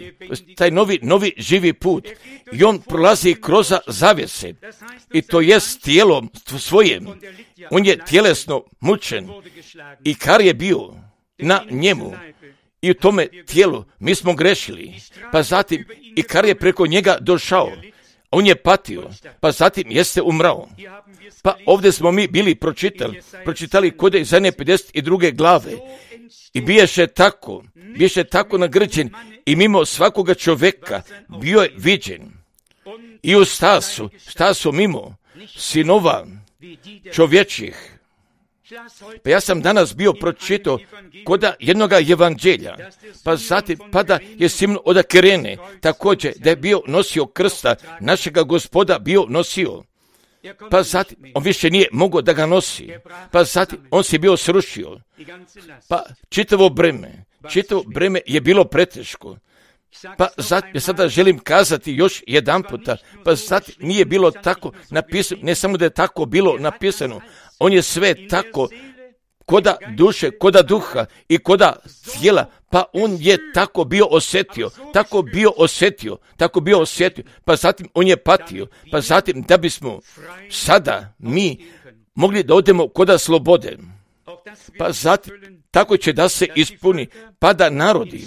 taj novi, novi živi put i on prolazi kroz zavjese i to jest tijelom svojim. On je tjelesno mučen i kar je bio na njemu i u tome tijelu mi smo grešili, pa zatim i kar je preko njega došao. On je patio, pa zatim jeste umrao. Pa ovdje smo mi bili pročitali, pročitali kod Izaije pedeset druge glave. I biješe tako, biješe tako nagrđen i mimo svakoga čovjeka bio je viđen. I u stasu, stasu mimo sinova čovječih. Pa ja sam danas bio pročitao koda jednoga evanđelja, pa zatim pada je Simon od Kirene, također da je bio nosio krsta, našega Gospoda bio nosio. Pa zatim on više nije mogao da ga nosi, pa zatim on se bio srušio. Pa čitavo breme, čitavo breme je bilo preteško. Pa zatim, ja sada želim kazati još jedan puta, pa zatim nije bilo tako napisano, ne samo da je tako bilo napisano, on je sve tako koda duše, koda duha i koda tijela, pa on je tako bio osjetio, tako bio osjetio, tako bio osjetio, pa zatim on je patio, pa zatim da bismo sada mi mogli da odemo koda slobode, pa zatim tako će da se ispuni, pa da narodi,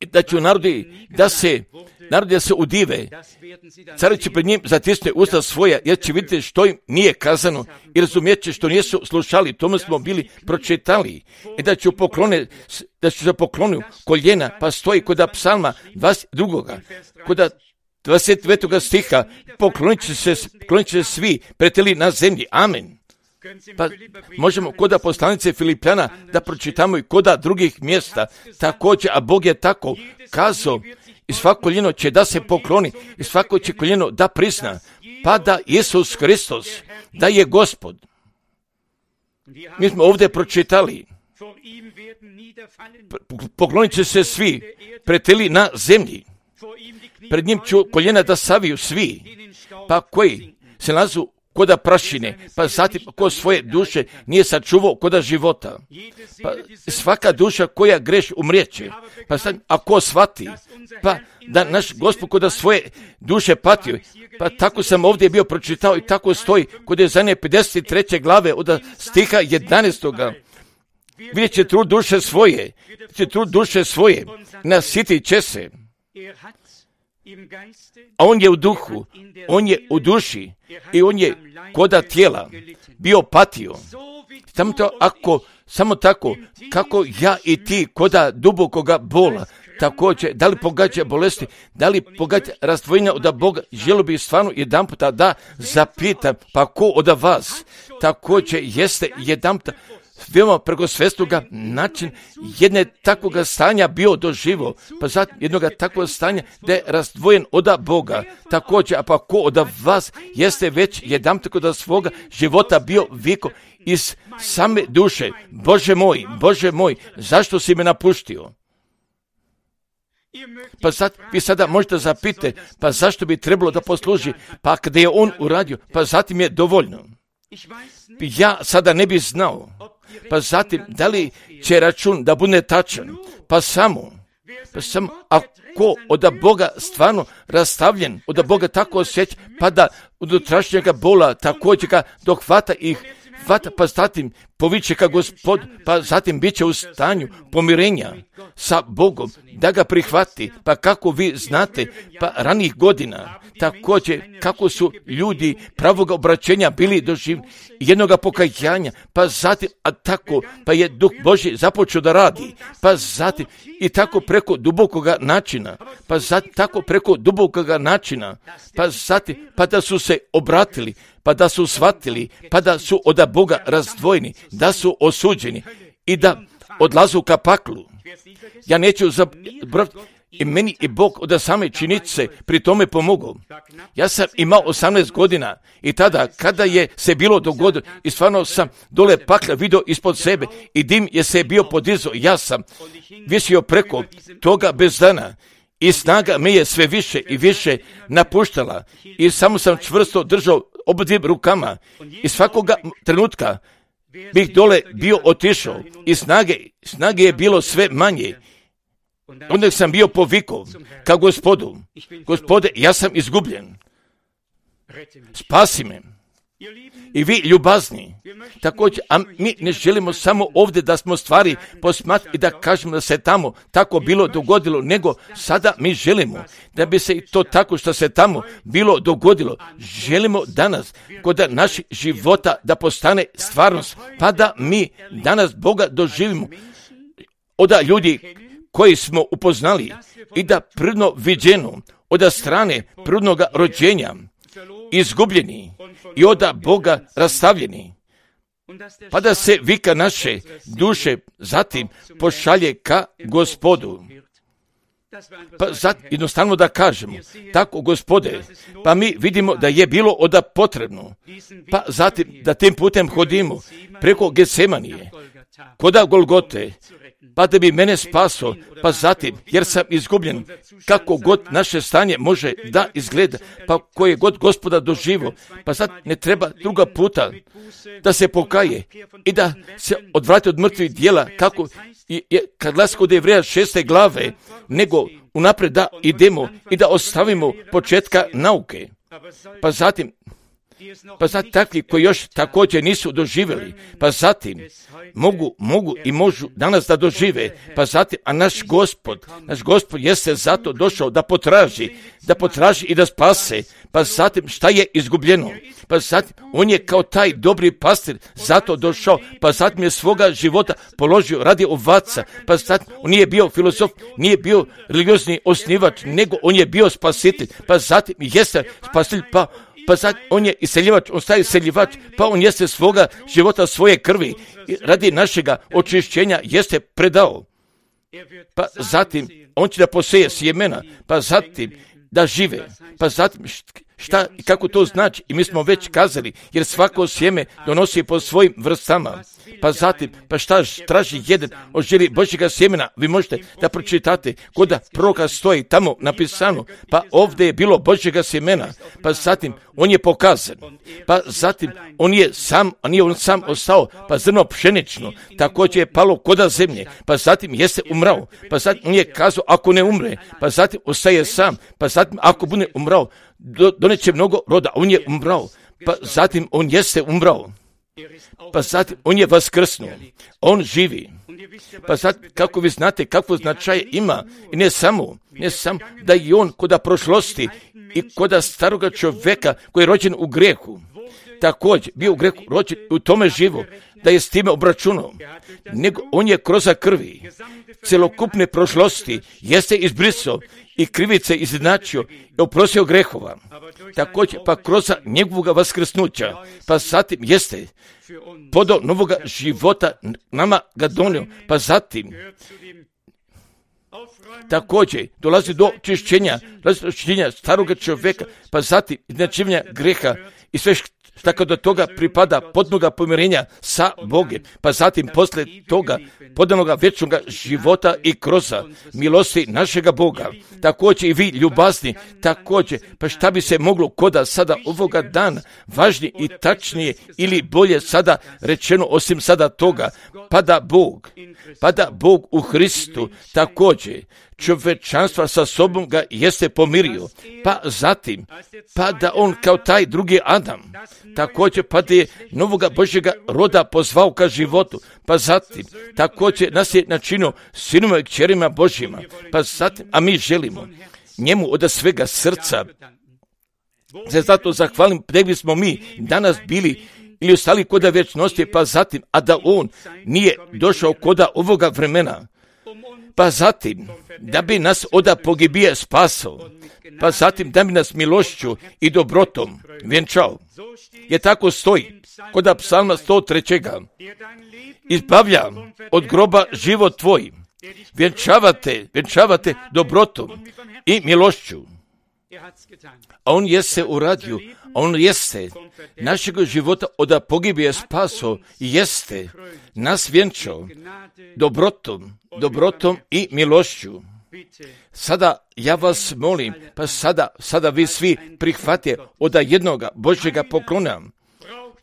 da će narodi da se, narodi da se udive, cari će pred njim zatisne usta svoja, jer će vidjeti što im nije kazano i razumijet će što nisu slušali, tome smo bili pročitali, i da će poklone, da će se poklonu koljena, pa stoji kod psalma dvadeset drugoga kod dvadeset devetoga stiha, poklonit će se, poklonit će se svi preteli na zemlji, amen. Pa možemo koda poslanice Filipljana da pročitamo i koda drugih mjesta također, a Bog je tako kazao i svako koljeno će da se pokloni i svako će koljeno da prizna, pa da Isus Hristos da je Gospod. Mi smo ovdje pročitali, poklonit će se svi preteli na zemlji, pred njim ću koljena da saviju svi, pa koji se nalazu koda prašine, pa zatim ko svoje duše nije sačuvao koda života. Pa svaka duša koja greš umrijeće, pa sad ako shvati, pa da naš Gospod koda svoje duše patio, pa tako sam ovdje bio pročitao i tako stoji kod Izaije pedeset treće glave od stiha jedanaestoga. Vidjet će trud duše svoje, će trud duše svoje, nasiti će se. A on je u duhu, on je u duši i on je koda tijela bio patio. Samo to ako, samo tako, kako ja i ti koda dubokoga bola, također, da li pogađa bolesti, da li pogađa razdvojenja od Boga, želio bih stvarno jedan puta da zapitam, pa ko od vas također jeste jedan puta veoma preko svestoga način jedne takvoga stanja bio doživo, pa zatim jednoga takvog stanja da je razdvojen od Boga. Također, a pa ko od vas jeste već jedan tako da svoga života bio viko iz same duše, Bože moj, Bože moj, zašto si me napuštio? Pa sad, vi sada možete zapite, pa zašto bi trebalo da posluži, pa kada je on uradio, pa zatim je dovoljno. Ja sada ne bi znao, pa zatim da li će račun da bude tačan, pa samo, pa samo ako od Boga stvarno rastavljen, od Boga tako osjeća, pa da od utrašnjega bola također ga dohvata ih, hvata, pa zatim poviće ka Gospod, pa zatim bit će u stanju pomirenja sa Bogom, da ga prihvati, pa kako vi znate, pa ranih godina, također kako su ljudi pravoga obraćenja bili doživ jednoga pokajanja, pa zatim, a tako, pa je Duh Božji započeo da radi, pa zatim, i tako preko dubokoga načina, pa zatim, tako preko dubokoga načina, pa zatim, pa da su se obratili, pa da su shvatili, pa da su od Boga razdvojeni, da su osuđeni i da odlazu ka paklu. Ja neću zaboraviti, i meni i Bog od same činjenice pri tome pomogao. Ja sam imao osamnaest godina i tada kada je se bilo dogodilo i stvarno sam dole pakla vidio ispod sebe i dim je se bio podizao, ja sam visio preko toga bez dana i snaga me je sve više i više napuštala i samo sam čvrsto držao obadvim rukama i svakoga trenutka bih dole bio otišao i snage, snage je bilo sve manje. Onda sam bio povikao ka Gospodu, Gospode, ja sam izgubljen, spasi me. I vi ljubazni, također, a mi ne želimo samo ovdje da smo stvari posmatrali i da kažemo da se tamo tako bilo dogodilo, nego sada mi želimo da bi se to tako što se tamo bilo dogodilo, želimo danas kod naših života da postane stvarnost, pa da mi danas Boga doživimo od ljudi koji smo upoznali i da prirodno viđeno od strane prirodnog rođenja izgubljeni i od Boga rastavljeni, pa da se vika naše duše zatim pošalje ka Gospodu. Pa zat, jednostavno da kažemo, tako Gospode, pa mi vidimo da je bilo oda potrebno, pa zatim da tim putem hodimo preko Getsemanije, koda Golgote, pa da bi mene spaso, pa zatim, jer sam izgubljen, kako god naše stanje može da izgleda, pa koje god Gospoda doživo, pa sad ne treba druga puta da se pokaje i da se odvrati od mrtvih dijela, kako je kad glas kod Jevreja šeste glave, nego unaprijed da idemo i da ostavimo početka nauke. Pa zatim, pa zatim takvi koji još također nisu doživjeli, pa zatim mogu, mogu i možu danas da dožive, pa zatim, a naš Gospod, naš Gospod jeste zato došao da potraži, da potraži i da spase, pa zatim šta je izgubljeno, pa zatim on je kao taj dobri pastir zato došao, pa zatim je svoga života položio radi ovaca, pa zatim on nije bio filozof, nije bio religiozni osnivač, nego on je bio spasitelj, pa zatim jeste spasitelj, pa pa sad on je iseljivač, on staje iseljivač, pa on jeste svoga života, svoje krvi, radi našega očišćenja jeste predao. Pa zatim on će da poseje sjemena, pa zatim da žive, pa zatim šta i kako to znači, i mi smo već kazali, jer svako sjeme donosi po svojim vrstama, pa zatim, pa šta traži jedan od želi Božjega sjemena, vi možete da pročitate, koda proroka stoji tamo napisano, pa ovdje je bilo Božjega sjemena, pa zatim on je pokazan, pa zatim on je sam, a nije on sam ostao, pa zrno pšenično, također je palo koda zemlje, pa zatim jeste umrao, pa zatim on je kazao ako ne umre, pa zatim ostaje sam, pa zatim ako bude umrao, do, doneće mnogo roda, on je umrao, pa zatim on jeste umrao, pa zatim on je vaskrsnuo, on živi, pa sad kako vi znate kakvo značaje ima, i ne samo, ne samo da je on koda prošlosti i koda staroga čovjeka koji je rođen u grehu, također bio u grehu rođen u tome živo, da je s time obračunao, nego on je kroz krvi celokupne prošlosti jeste izbrisao i krivice izjednačio i oprostio grehova. Također pa kroz njegovog vaskrsnuća, pa zatim jeste podao novoga života, nama ga donio, pa zatim također dolazi do čišćenja, dolazi do čišćenja staroga čovjeka, pa zatim izjednačivanja greha i sve što do toga pripada potpunoga pomirenja sa Bogom, pa zatim poslije toga podanoga vječnog života i kroz milosti našega Boga. Također i vi ljubazni, također, pa šta bi se moglo koda sada ovoga dana važnije i tačnije ili bolje sada rečeno osim sada toga, pa da Bog, pa da Bog u Hristu također čovječanstva sa sobom ga jeste pomirio, pa zatim, pa da on kao taj drugi Adam, također pa da je novoga Božjega roda pozvao ka životu, pa zatim, također nas je načinio sinima i kćerima Božjima, pa zatim, a mi želimo njemu od svega srca se zato zahvalim, da bismo mi danas bili ili ostali koda vječnosti, pa zatim, a da on nije došao koda ovoga vremena, pa zatim, da bi nas oda pogibije spasao, pa zatim da bi nas milošću i dobrotom vjenčao. Je tako stoji, koda psalma sto tri. Izbavlja od groba život tvoj, vjenčavate, vjenčavate dobrotom i milošću. A on jeste uradio, a on jeste našeg života od pogibije spaso, jeste nas vjenčao dobrotom, dobrotom i milošću. Sada ja vas molim, pa sada, sada vi svi prihvatite od jednoga Božjega poklona.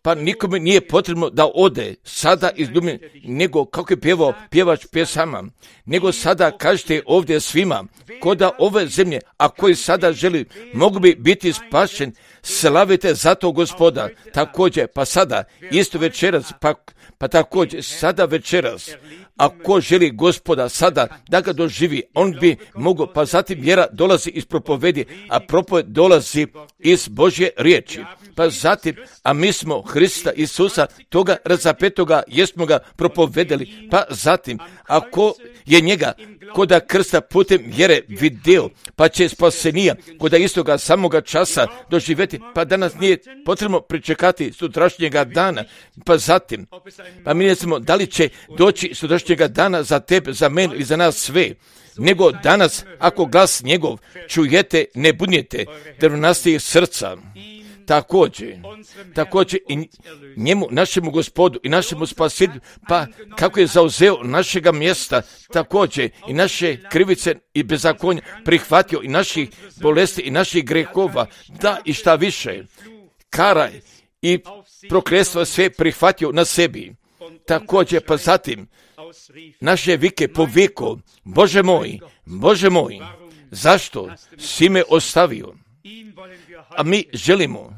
pa nikome nije potrebno da ode sada iz Dublina, nego kako je pjevao pjevač pjesama, nego sada kažete ovdje svima, ko da ove zemlje, a koji sada želi, mogu bi biti spašen, slavite zato Gospoda, također, pa sada, isto večeras, pa, pa također, sada večeras, a ko želi Gospoda sada da ga doživi, on bi mogao, pa zatim vjera dolazi iz propovedi, a propoved dolazi iz Božje riječi. Pa zatim, a mi smo Hrista Isusa, toga razapetoga, jesmo ga propovedali, pa zatim, ako je njega koda krsta putem vjere vidio, pa će spasenija koda istoga samoga časa doživjeti, pa danas nije potrebno pričekati sutrašnjega dana, pa zatim, pa mi ne znamo da li će doći sutrašnjega dana za tebe, za mene i za nas sve, nego danas, ako glas njegov čujete, ne budnjete drvnastih srca. Također, također i njemu, našemu Gospodu i našemu Spasitelju, pa kako je zauzeo našega mjesta, također i naše krivice i bezakonja prihvatio i naših bolesti i naših grehova, da i šta više, kara i prokletstva sve prihvatio na sebi. Također, pa zatim, naše vike poviko, Bože moj, Bože moj, zašto si me ostavio? A mi želimo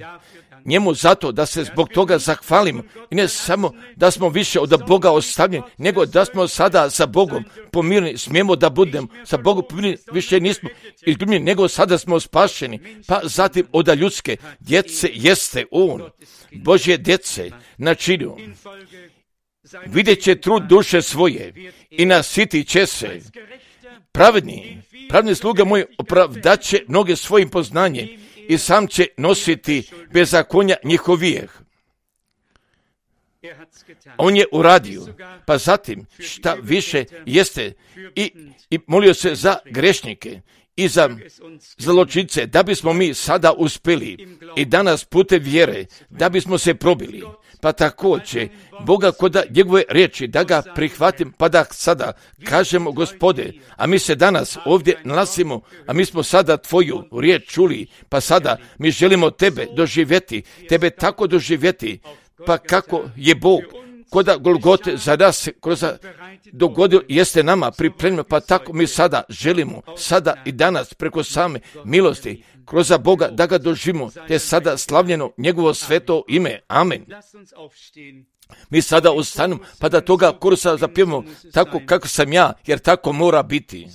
njemu zato da se zbog toga zahvalimo i ne samo da smo više od Boga ostavljeni, nego da smo sada sa Bogom pomireni, smijemo da budemo sa Bogom pomireni, više nismo izgubljeni, nego sada smo spašeni, pa zatim od ljudske djece jeste On, Božje djece načinio. Vidjet će trud duše svoje i nasiti će se. Pravedni, pravedni sluga moj opravdaće mnoge svojim poznanjem i sam će nositi bezakonja njihovijeh. On je uradio, pa zatim šta više jeste i, i molio se za grešnike i za zločince, da bismo mi sada uspjeli i danas putem vjere, da bismo se probili. Pa također, Boga koda njegove riječi, da ga prihvatim, pa da sada kažemo Gospode, a mi se danas ovdje nalazimo, a mi smo sada tvoju riječ čuli, pa sada mi želimo tebe doživjeti, tebe tako doživjeti, pa kako je Bog koda Golgote za nas kroz dogodio jeste nama pripremljeno, pa tako mi sada želimo, sada i danas preko same milosti, kroz Boga da ga doživimo, te sada slavljeno njegovo sveto ime. Amen. Mi sada ustanemo, pa da toga kursa zapijemo tako kako sam ja, jer tako mora biti.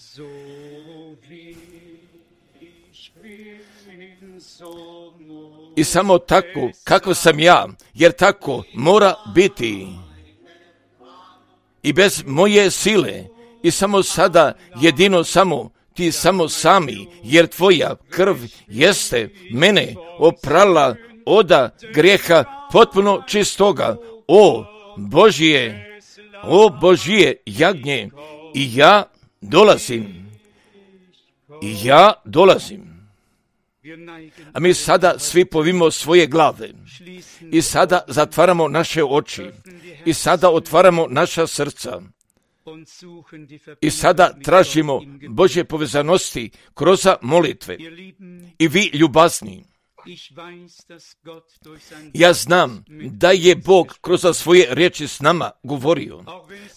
I samo tako kako sam ja, jer tako mora biti. I bez moje sile, i samo sada jedino samo, ti samo sami, jer tvoja krv jeste mene oprala oda grijeha potpuno čistoga. O Božije, o Božije jagnje, i ja dolazim, i ja dolazim. A mi sada svi povimo svoje glave i sada zatvaramo naše oči i sada otvaramo naša srca i sada tražimo Božje povezanosti kroz molitve. I vi ljubazni, ja znam da je Bog kroz svoje riječi s nama govorio.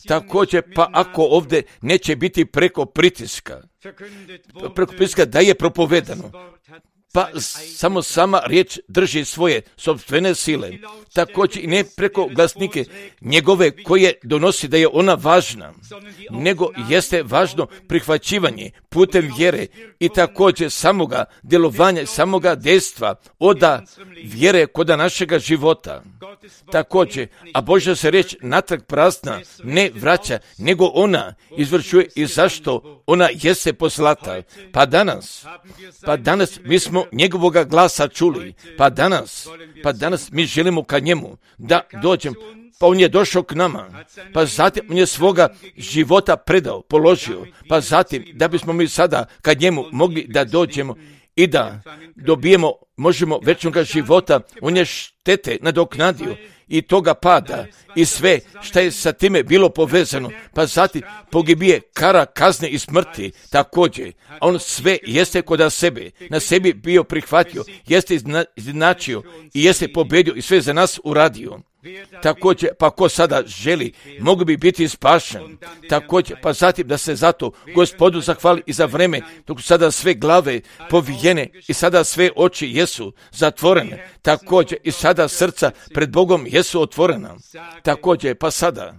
Također, pa ako ovdje neće biti preko pritiska, preko pritiska da je propovedano, pa samo sama riječ drži svoje sopstvene sile, također i ne preko glasnike njegove koje donosi da je ona važna, nego jeste važno prihvaćivanje putem vjere i također samoga djelovanja, samoga dejstva oda vjere koda našega života. Također, a Božja se riječ natrag prazna ne vraća, nego ona izvršuje i zašto ona jeste poslata. Pa danas, pa danas mi smo njegovoga glasa čuli, pa danas, pa danas mi želimo ka njemu da dođemo, pa on je došao k nama, pa zatim on je svoga života predao, položio, pa zatim da bismo mi sada ka njemu mogli da dođemo i da dobijemo možemo večnoga života, on je štete nadoknadio i toga pada i sve što je sa time bilo povezano, pa zatim pogibije, kara, kazne i smrti također. A on sve jeste kod sebe, na sebi bio prihvatio, jeste izjednačio i jeste pobedio i sve za nas uradio. Također, pa ko sada želi, mogu bi biti spašen. Također, pa zatim da se zato Gospodu zahvali i za vreme dok sada sve glave povijene i sada sve oči jesu zatvorene. Također, i sada srca pred Bogom jesu otvorena. Također, pa sada,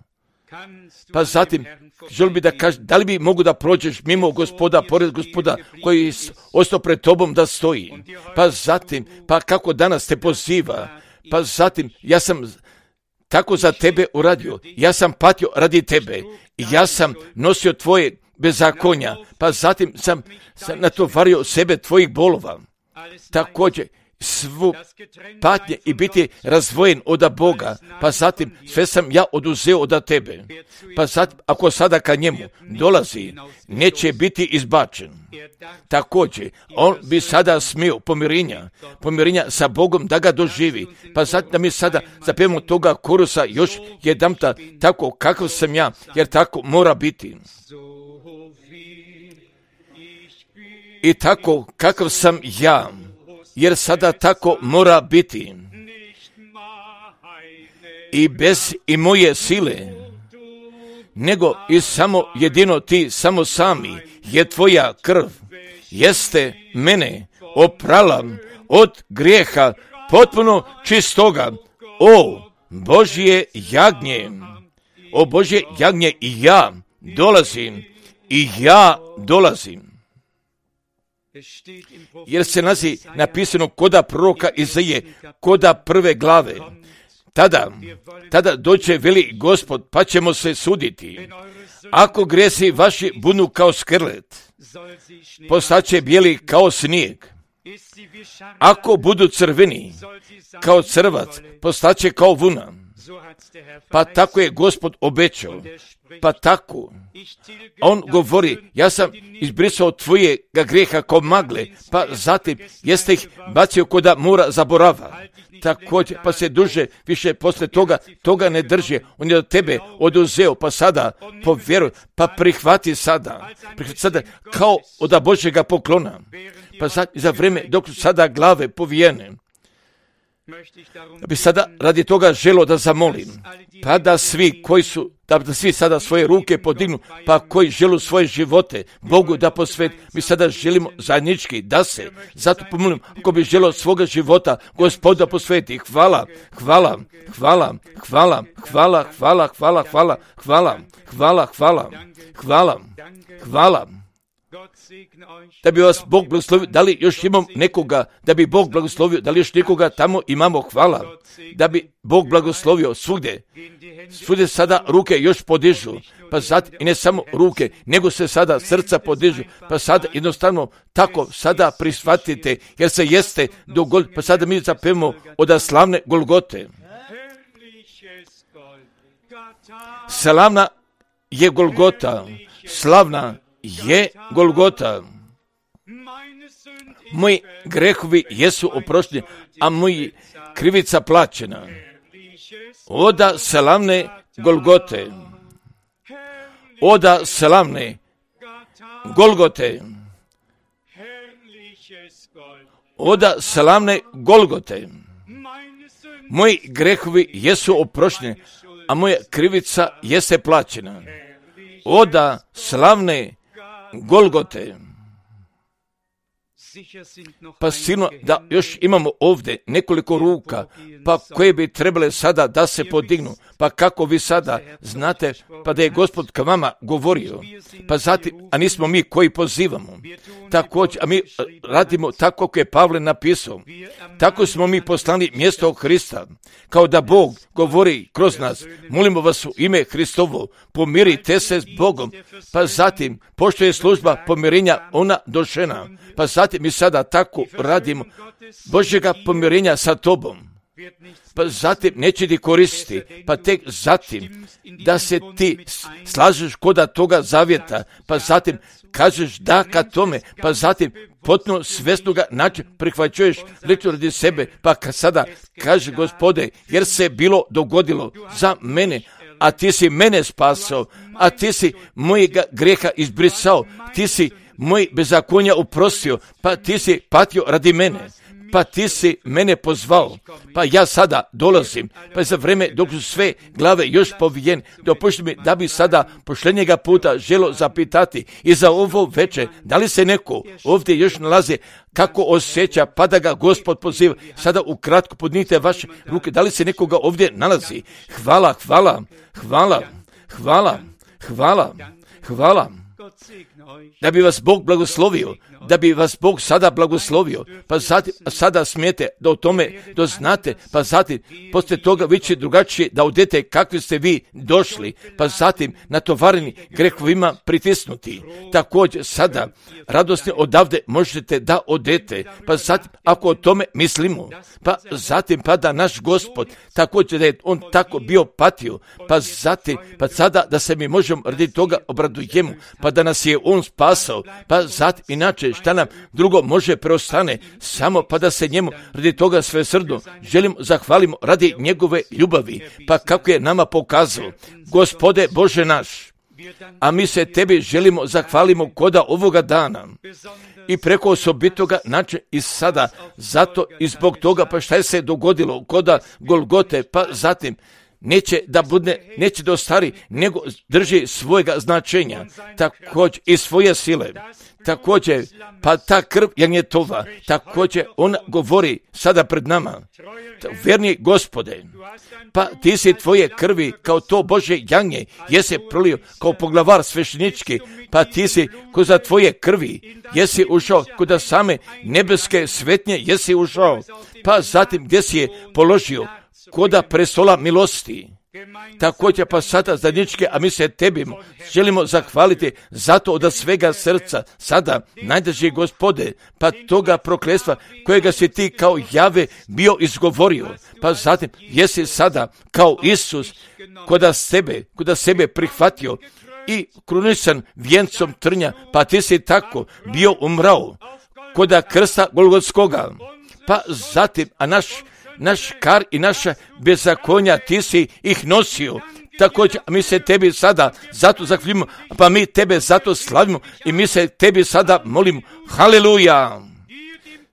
pa zatim, želim bi da kažem, da li bi mogu da prođeš mimo Gospoda, pored Gospoda koji ostao pred tobom da stoji. Pa zatim, pa kako danas te poziva, pa zatim, ja sam tako za tebe uradio, ja sam patio radi tebe i ja sam nosio tvoje bezakonja, pa zatim sam, sam natovario sebe tvojih bolova. Također, svu patnje i biti razvojen od Boga, pa zatim sve sam ja oduzeo od tebe. Pa zatim, ako sada ka njemu dolazi, neće biti izbačen. Također, on bi sada smio pomirenja, pomirenja sa Bogom da ga doživi. Pa zatim da mi sada zapevamo toga korusa još jedamta tako kakav sam ja, jer tako mora biti. I tako kakav sam ja, jer sada tako mora biti. I bez i moje sile, nego i samo jedino ti, samo sami, je tvoja krv, jeste mene oprala od grijeha potpuno čistoga. O Božje jagnje, o Božje jagnje, i ja dolazim, i ja dolazim. Jer se nalazi napisano koda proroka Izaije, koda prve glave. Tada, tada doće veli Gospod, pa ćemo se suditi. Ako grijesi vaši budu kao skrlet, postaće bijeli kao snijeg. Ako budu crveni kao crvac, postaće kao vuna. Pa tako je Gospod obećao. Pa tako, on govori, ja sam izbrisao tvojega grijeha kao magle, pa zatim jeste ih bacio koda mora zaborava. Također, pa se duže više posle toga, toga ne drži. On je od tebe oduzeo, pa sada povjeruj, pa prihvati sada. Prihvati sada kao od Božjega poklona. Pa sad, za vrijeme dok su sada glave povijene, da bi sada radi toga želo da zamolim, pa da svi koji su, da, da svi sada svoje ruke podignu, pa koji želu svoje živote Bogu da posvet, mi sada želimo zajednički da se, zato pomolim, ako bi želo svoga života Gospoda posveti, hvala, hvala, hvala, hvala, hvala, hvala, hvala, hvala, hvala, hvala, hvala, hvala, hvala. Da bi vas Bog blagoslovio, da li još imam nekoga, da bi Bog blagoslovio, da li još nekoga tamo imamo, hvala, da bi Bog blagoslovio svugdje, svugdje sada ruke još podižu, pa sad i ne samo ruke, nego se sada srca podižu, pa sada jednostavno tako sada prihvatite, jer se jeste do Golgote, pa sada mi zapevamo od slavne Golgote. Slavna je Golgota, slavna je Golgota. Moji grehovi jesu oprošteni, a moji krivica plaćena. Oda slavne Golgote. Oda slavne Golgote. Oda slavne Golgote. Moji grehovi jesu oprošteni, a moja krivica jeste plaćena. Oda slavne Golgote. Pa sigurno da još imamo ovdje nekoliko ruka, pa koje bi trebale sada da se podignu, pa kako vi sada znate, pa da je Gospod k vama govorio, pa zatim, a nismo mi koji pozivamo, također, a mi radimo tako kako je Pavle napisao, tako smo mi poslani mjesto Hrista, kao da Bog govori kroz nas, molimo vas u ime Hristovo, pomirite se s Bogom, pa zatim, pošto je služba pomirenja ona došena, pa zatim mi sada tako radimo Božjega pomirenja sa tobom, pa zatim neće ti koristiti, pa tek zatim da se ti slažeš kod toga zavjeta, pa zatim kažeš da ka tome, pa zatim potpuno svjesno ga način prihvaćuješ lično radi sebe, pa sada kaže Gospode, jer se bilo dogodilo za mene, a ti si mene spasao, a ti si mojega grijeha izbrisao, ti si moj bezakonja oprostio, pa ti si patio radi mene, pa ti si mene pozvao, pa ja sada dolazim, pa za vreme dok su sve glave još povijen, dopušti mi da bi sada pošljenjega puta želo zapitati i za ovo večer, da li se neko ovdje još nalazi, kako osjeća, pa da ga Gospod poziva, sada ukratko podnite vaše ruke, da li se nekoga ovdje nalazi? Hvala, hvala, hvala, hvala, hvala, hvala. Da bi vas Bog blagoslovio, da bi vas Bog sada blagoslovio, pa zatim, sada smijete da o tome doznate, pa zatim poslije toga vi će drugačije da odete kakvi ste vi došli, pa zatim natovareni grehovima pritisnuti. Također sada radosni odavde možete da odete, pa zatim ako o tome mislimo, pa zatim pa da naš Gospod također da je on tako bio patio, pa zatim pa sada da se mi možemo radi toga obradujemo, pa da nas je on spasao, pa zatim inače šta nam drugo može preostane, samo pa da se njemu radi toga sve srdo želimo zahvalimo radi njegove ljubavi, pa kako je nama pokazao. Gospode Bože naš, a mi se tebi želimo zahvalimo koda ovoga dana i preko osobitoga način i sada, zato i zbog toga pa šta je se dogodilo koda Golgote, pa zatim neće da bude, neće da ostari, nego drži svojega značenja, također i svoje sile. Također, pa ta krv janjetova, također ona govori sada pred nama. Verni Gospode, pa ti si tvoje krvi kao to Bože janje, jesi prolio kao poglavar sveštenički, pa ti si ko za tvoje krvi, jesi ušao kod same nebeske svetnje, jesi ušao, pa zatim gdje si je položio koda prestola milosti. Također pa sada zajedničke, a mi se tebi želimo zahvaliti zato od svega srca, sada najdrži Gospode, pa toga prokletstva kojega si ti kao Jave bio izgovorio, pa zatim jesi sada kao Isus koda sebe, koda sebe prihvatio i krunisan vijencom trnja, pa ti si tako bio umrao koda krsta Golgotskoga, pa zatim, a naš naš kar i naša bezakonja ti si ih nosio. Također mi se tebi sada zato zahvaljujemo, pa mi tebe zato slavimo i mi se tebi sada molimo. Haleluja!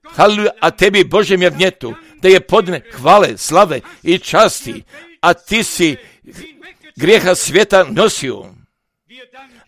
Haleluja! A tebi Božem jagnjetu da je podne hvale, slave i časti, a ti si grijeha svijeta nosio.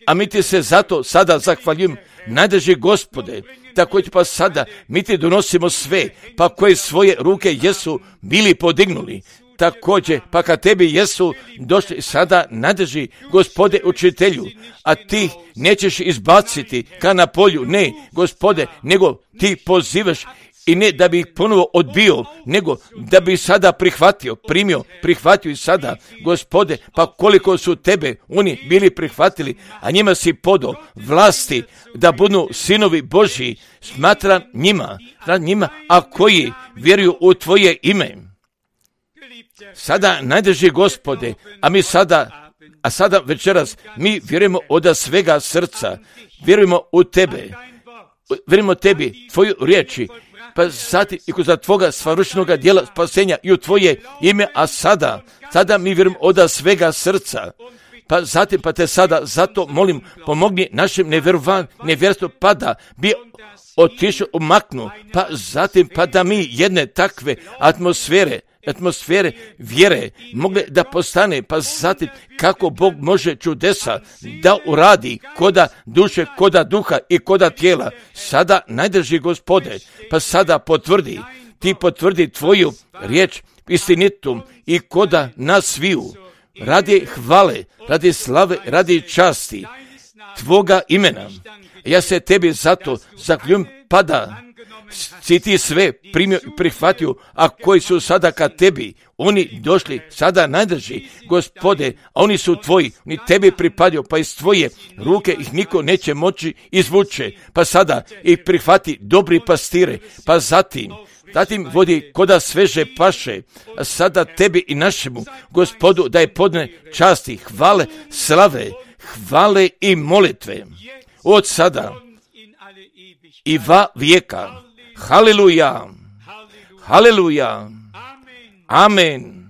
A mi ti se zato sada zahvaljujemo, najdrži Gospode. Također pa sada mi ti donosimo sve, pa koje svoje ruke jesu bili podignuli. Također pa kad tebi jesu došli sada nadrži Gospode učitelju, a ti nećeš izbaciti ka na polju, ne Gospode, nego ti pozivaš i ne da bi ih ponovo odbio, nego da bi sada prihvatio, primio, prihvatio i sada, Gospode, pa koliko su tebe oni bili prihvatili, a njima si podao vlasti da budu sinovi Božji, smatra njima, njima, a koji vjeruju u tvoje ime. Sada najdrži Gospode, a mi sada, a sada večeras, mi vjerujemo od svega srca, vjerujemo u tebe, vjerujemo tebi, tvoju riječi, pa zatim i kod tvoga svršenoga djela spasenja i u tvoje ime, a sada, sada mi vjerujemo od svega srca, pa zatim pa te sada zato molim, pomogni našem nevjerovanju, nevjerstvu, pa da bi otišao umaknu, pa zatim pa da mi jedne takve atmosfere, atmosfere vjere mogle da postane, pa zatim kako Bog može čudesa da uradi koda duše, koda duha i koda tijela. Sada najdrži Gospode, pa sada potvrdi, ti potvrdi tvoju riječ istinitom i koda nas sviju, radi hvale, radi slave, radi časti tvoga imena. Ja se tebi zato zahvaljujem, pada si ti sve primio i prihvatio, a koji su sada ka tebi, oni došli sada najdrži, Gospode, a oni su tvoji, oni tebi pripadio, pa iz tvoje ruke ih niko neće moći izvuče, pa sada ih prihvati dobri pastire, pa zatim zatim vodi koda sveže paše, a sada tebi i našemu Gospodu da je podne časti, hvale, slave, hvale i molitve od sada i va vijeka. Haleluja, haleluja, amen.